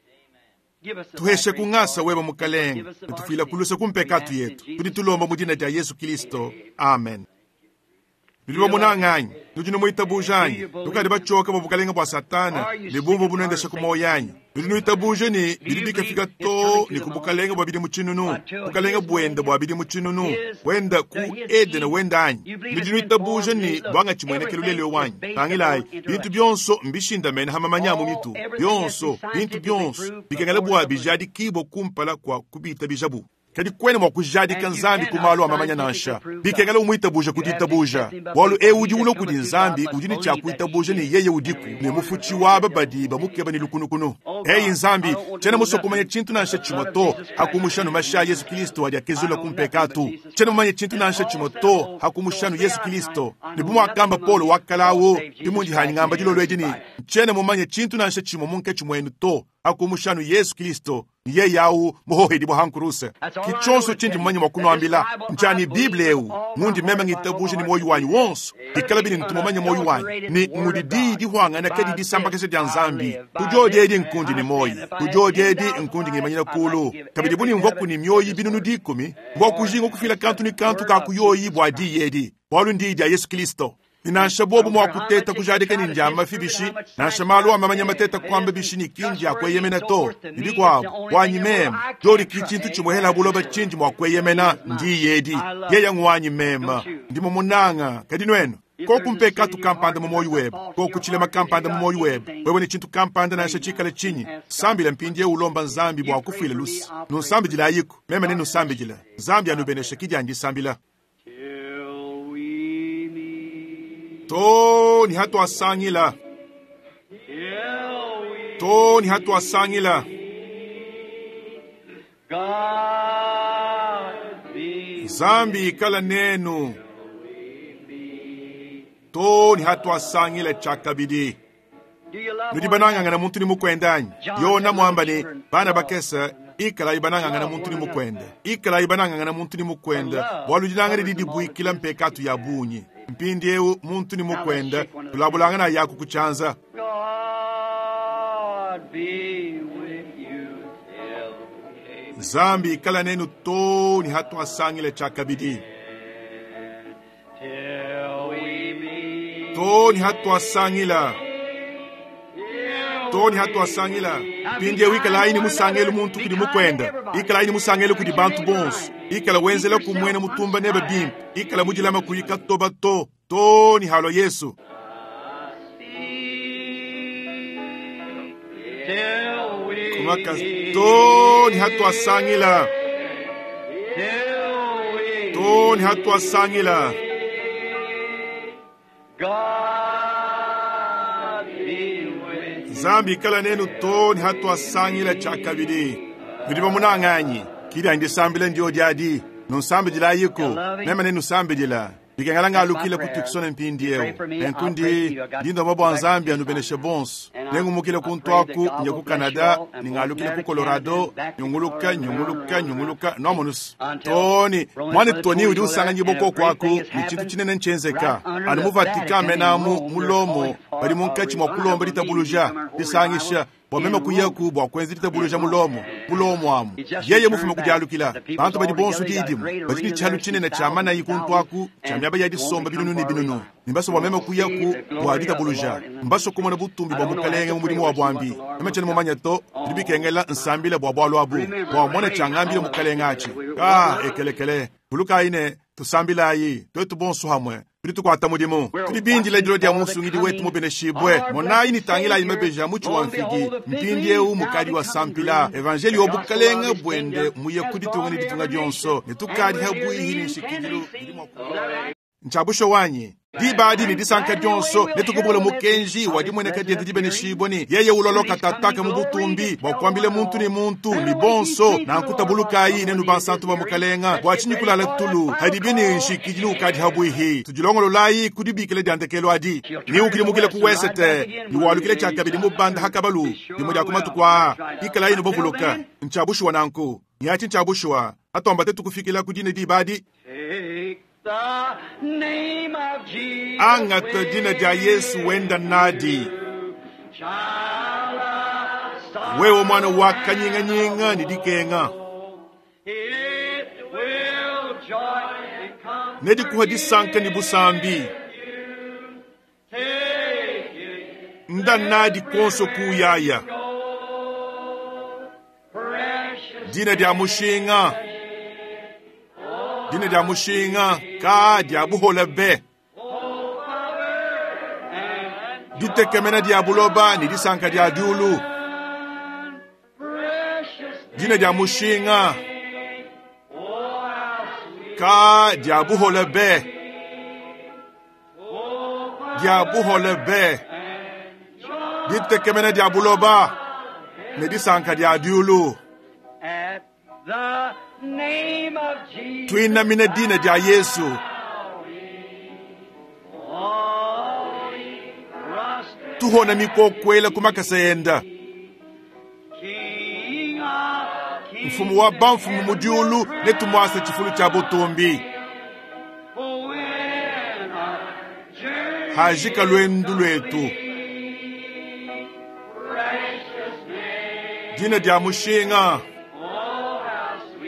tuheshe kung'asa weba mukalenga ne tufila kulusa kumpekatu yetu tudi tulomba mu dina dia Yesu Kristo amen. Biliba munang'anyi nudi numuitabujanyi tukadi bachoka bwa bukalenga bwa Satana ne bumvu bunendesha ku moyo yanyi nudi nuitabuje ni bidi bikafika to ni ku bukalenga bwa bidi mutshinunu bukalenga bwenda bwa bidi mutshinunu wenda ku Edene wenda anyi nudi nuitabuje ni bwanga tshimwenekelo leleo wanyi tangilayi bintu byonso mbishindamene hamamanya mu mitu byonso bintu byonso bikengela bwa bijadikibwa kumpala kwa kubita bijabu kadi kwene mwa kujadika Nzambi kumalo amamanya nansha bikengela umwitabuja kuditabuja bwalu ewu udi ulo kudi Nzambi udi ni tshia kuitabuja ni yeye udiku ne mufutshi waba badi bamukeba ni lukunukunu. Eyi Nzambi tshena musokumanya tshintu nansha tshimwe to hakumushanu masha Yesu Kristo adi akezula kumpekatu tshena mumanye tshintu nansha tshimwe to hakumushanu Yesu Kristo ne bumwakamba Paulo wakalawo bimundi hanyingamba dilolo edi ni tshena mumanye tshintu nansha tshimwe munke tshimwenu to Hakumushanu Yesu Kristo ni yeye au muhohedi bwa hankuruse. Kichonso chindi mumanye mwa kunuambila nchani Biblia eu mundi mema ngitabuje ni moyo wanyu wonso dikala bini ntumomanya moyo wanyu ni ngudi di hwangana kadi disambakese dya nzambi kujodi edi nkundi ni moyi kujodi edi nkundi ngimanyira kulu kabidi buni mvoku ni myoyi binunu dikumi mvokujinga kufila kantu ni kantu kakuyoyi bwa diyi edi bwalu ndi dya Yesu Kristo. Nansha bobu mwa kuteta kujadika ni njama fibishi nansha malu amamanya mateta kwamba bishi ni kinji akweyemena to ibikwabo wanyi mema jori kichintu chimwehela buloba chinji mwa kweyemena ndi yedi yeya ngwanyi mema ndimo munanga kadi nwenu kokumpe katu kampanda mu moyo webe kokuchilema kampanda mu moyo webe wewe ni chintu kampanda nansha chikala chinyi sambila mpindi ulomba nzambi bwa kufwila lusi nusambijila ayiko mema ne nusambijila nzambi anubenesha kijandi sambila To ni hatu asangila. To ni hatu asangila. Zambi ikala nenu. To ni hatu asangila chakabidi. Nudi banangangana muntu ni mukwendanyi. Yona mwamba ni bana bakesa ikala ibanangangana muntu ni mukwenda. Ikala ibanangangana muntu ni mukwenda. Bwalu dinangani didi buikila mpekatu ya bunyi. Mpindi eu muntu ni mukwenda tulabulangana yaku kuchanza. Zambi ikala nenu to ni hatu asangile chakabidi. To ni hatu asangila. To ni hatu asangila. Mpindi eu ikala ini musangelu muntu kudi mukwenda. Ikala ini musangelu kudi bantu bonso. Ikala wenzela kumwena mutumba neba bimpe. Ikala mujilama kuyika toba to. To ni halo Yesu. Kumaka to ni hatu asangila. To ni hatu asangila. Zambi ikala nenu to ni hatu asangila chakabidi. Nudi munanganyi. Kida ndisambile ndio diadi. Nusambijila yiko. Mema ne nusambijila. Bikengalanga alukile kutuksona mpindi eo. Nenkundi ndindo mabo nzambi anubeneshe bonso. Nengumukile kuntwaku nye ku Canada, ningalukile ku Colorado, nyunguluka nyunguluka nyunguluka nomonus. Tony, mwana Tony udi usanga nyiboko kwaku ni chintu chinene nchenzeka. Anu mu Vatican menamu mulomo bali munkachi mwa kulomba litabuluja lisangisha bwa mema kuyaku bwa kwenzi litabuluja mulomo mulomo amu yeye mufume kujalukila bantu badi bonso didimu badi chalu chinene cha mana yikuntwaku cha myaba ya disomba binunu ni binunu nimbaso bwa mema kuyaku bwa litabuluja mbaso kumona butumbi bwa mukalenge mu mulimu wa bwambi mema chene mumanya to libikengela nsambile bwa bwalo abu bwa mona changambile mukalenge achi ah ekelekele buluka ine tusambilayi twetu bonso hamwe tuli tukwata mudimu tuli bindile dilo dia musungidi wetu mubeneshibwe monayi nitangila imebeja muchi wa mfigi mpindi eu mukali wa sampila evanjeli obukalenga bwende muye kuditunga ni ditunga dionso netukali habwihi ni nshikidilu nchabusho wanyi dibadi ni disanka dionso netukubula mukenji wadimweneka diende dibeneshibwe ni yeye uloloka tataka mu butumbi bwakwambile muntu ni muntu ni bonso nankutabulukayi nenu bansantu ba mukalenga bwachinyi kulala tulu hadibi ni nshikidilu ukadi habwihi tujilongololayi kudibikile diandekelo adi ni ukilimukile kuwesete ni walukile chakabili mubanda hakabalu limwe lya kumatukwa ikalayi nobovuluka nchabushuwa nanku nyachi nchabushuwa atomba tetukufikila kudine dibadi angata jina ja Yesu wenda nadi wewe mwana wa kanyinganyinga ni dikenga nedikuha disanka ni busambi nda nadi konso kuyaya dina dia mushinga dina dia mushinga ka dia buhola be ditekemena dia buloba ni disanka dia diulu dina dia mushinga ka dia buhola be dia buhola be ditekemena dia buloba ni disanka dia diulu twinamina dina dia Yesu tuhona mikokwela kumakasenda Mfumu wa bamfumu mu diulu netumuase tshifulu tshia butumbi. Hajika lwendu lwetu. Dina dia mushinga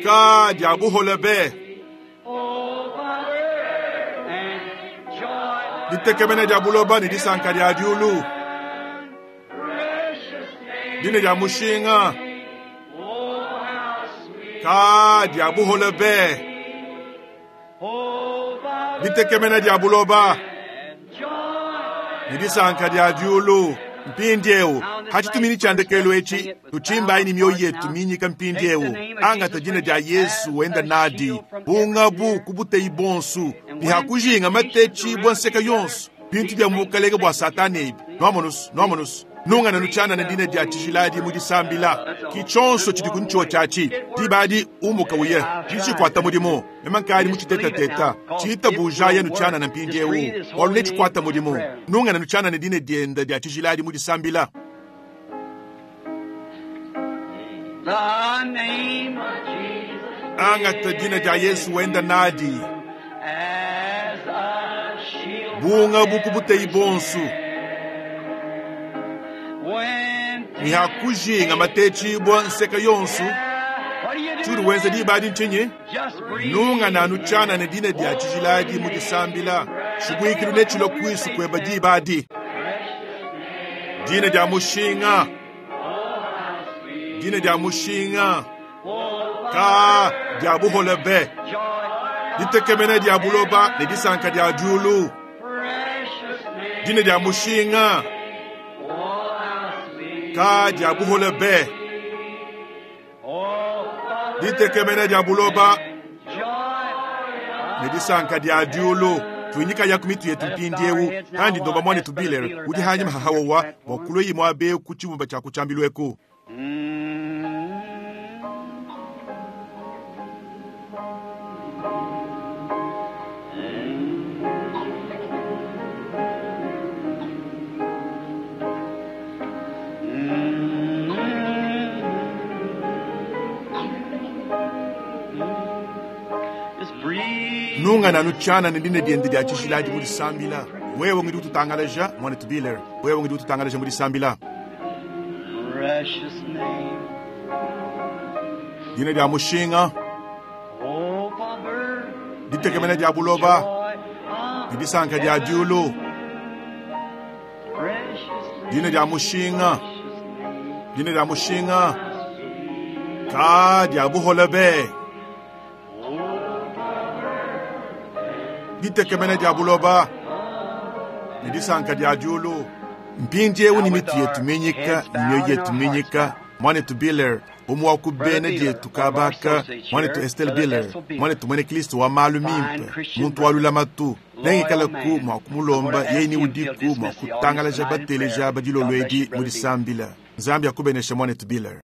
ka dia buhole be. Ditekemena dia buloba ne disanka dia diulu. Dina dia mushinga ka dia buhole be. Ditekemena dia buloba ne disanka dia diulu. Mpindiewu hachitumini cha ndekelo echi tuchimbayi ni mioyo yetu minyika mpindiewu angata dina dia Yesu wenda nadi bungabu kubuteyi bonsu nihakujinga matechi bwa nseka yonso bintu bya mukalenge bwa satani ebi nwamonusu nwamonusu nungana nutshanana dina dia tshijiladi mu disambila ki tshonso tshidi ku tshiatshi dibadi umuka uye tshidi mudimu memankali mu tshitetateta tshitabuja nutshanana mpindiewu walu ne tshikwata mudimu nungana nutshanana dina dienda dia tshijiladi mu disambila. The name of Jesus Angata dina dia Yesu wenda nadi as a shield. bunga bukubuteyi bonsu When nihakujinga matechibwa nseka yonsu what do you do? tshuri wenza dibadi nchinyi Just breathe. nunga nanu tshanana dina dia tshijiladi mu disambila tshibwikilu ne tshilo kwisu kweba dibadi dina dia mushinga dina dia mushinga ka dia buhole be ditekemena dia buloba ne disanka dia diulu Precious name. dina dia mushinga Oh, how sweet. ka dia buhole be Oh, ditekemena dia buloba joy. ne disanka dia diulu tuinyika yaku mitu yetu mpindiewu kandi ndomba mwane tubilere udi hanyima hahawowa bua kulwe imwe abe ku tshibumba tshia kutshambilweku. Mm. Just breathe. Nunga nanu tshanana dina diende dia tshijiladi mu disambila wewe ngidi ututangalaja mwane tubilere wewe ngidi ututangalaja mu disambila. Precious name. Dina dia mushinga Hope of earth. ditekemena dia buloba Joy of ne disanka dia diulu. Precious name. Dina dia mushinga Precious name. dina dia mushinga ka dia buhole be ditekemena dia buloba ne disanka dia diulu. Mpindiewu ni mitu yetu minyika ni mioyo yetu minyika mwanetu Biller umwe wa ku bene dietu kabaka mwanetu Estelle Biller mwanetu mwene Kristo wa malu mimpe muntu wa lulamatu nengikalaku mwa kumulomba yeye udiku mwa kutangalaja bateleja badilolo edi mu disambila. Nzambi akubenesha mwanetu Biller.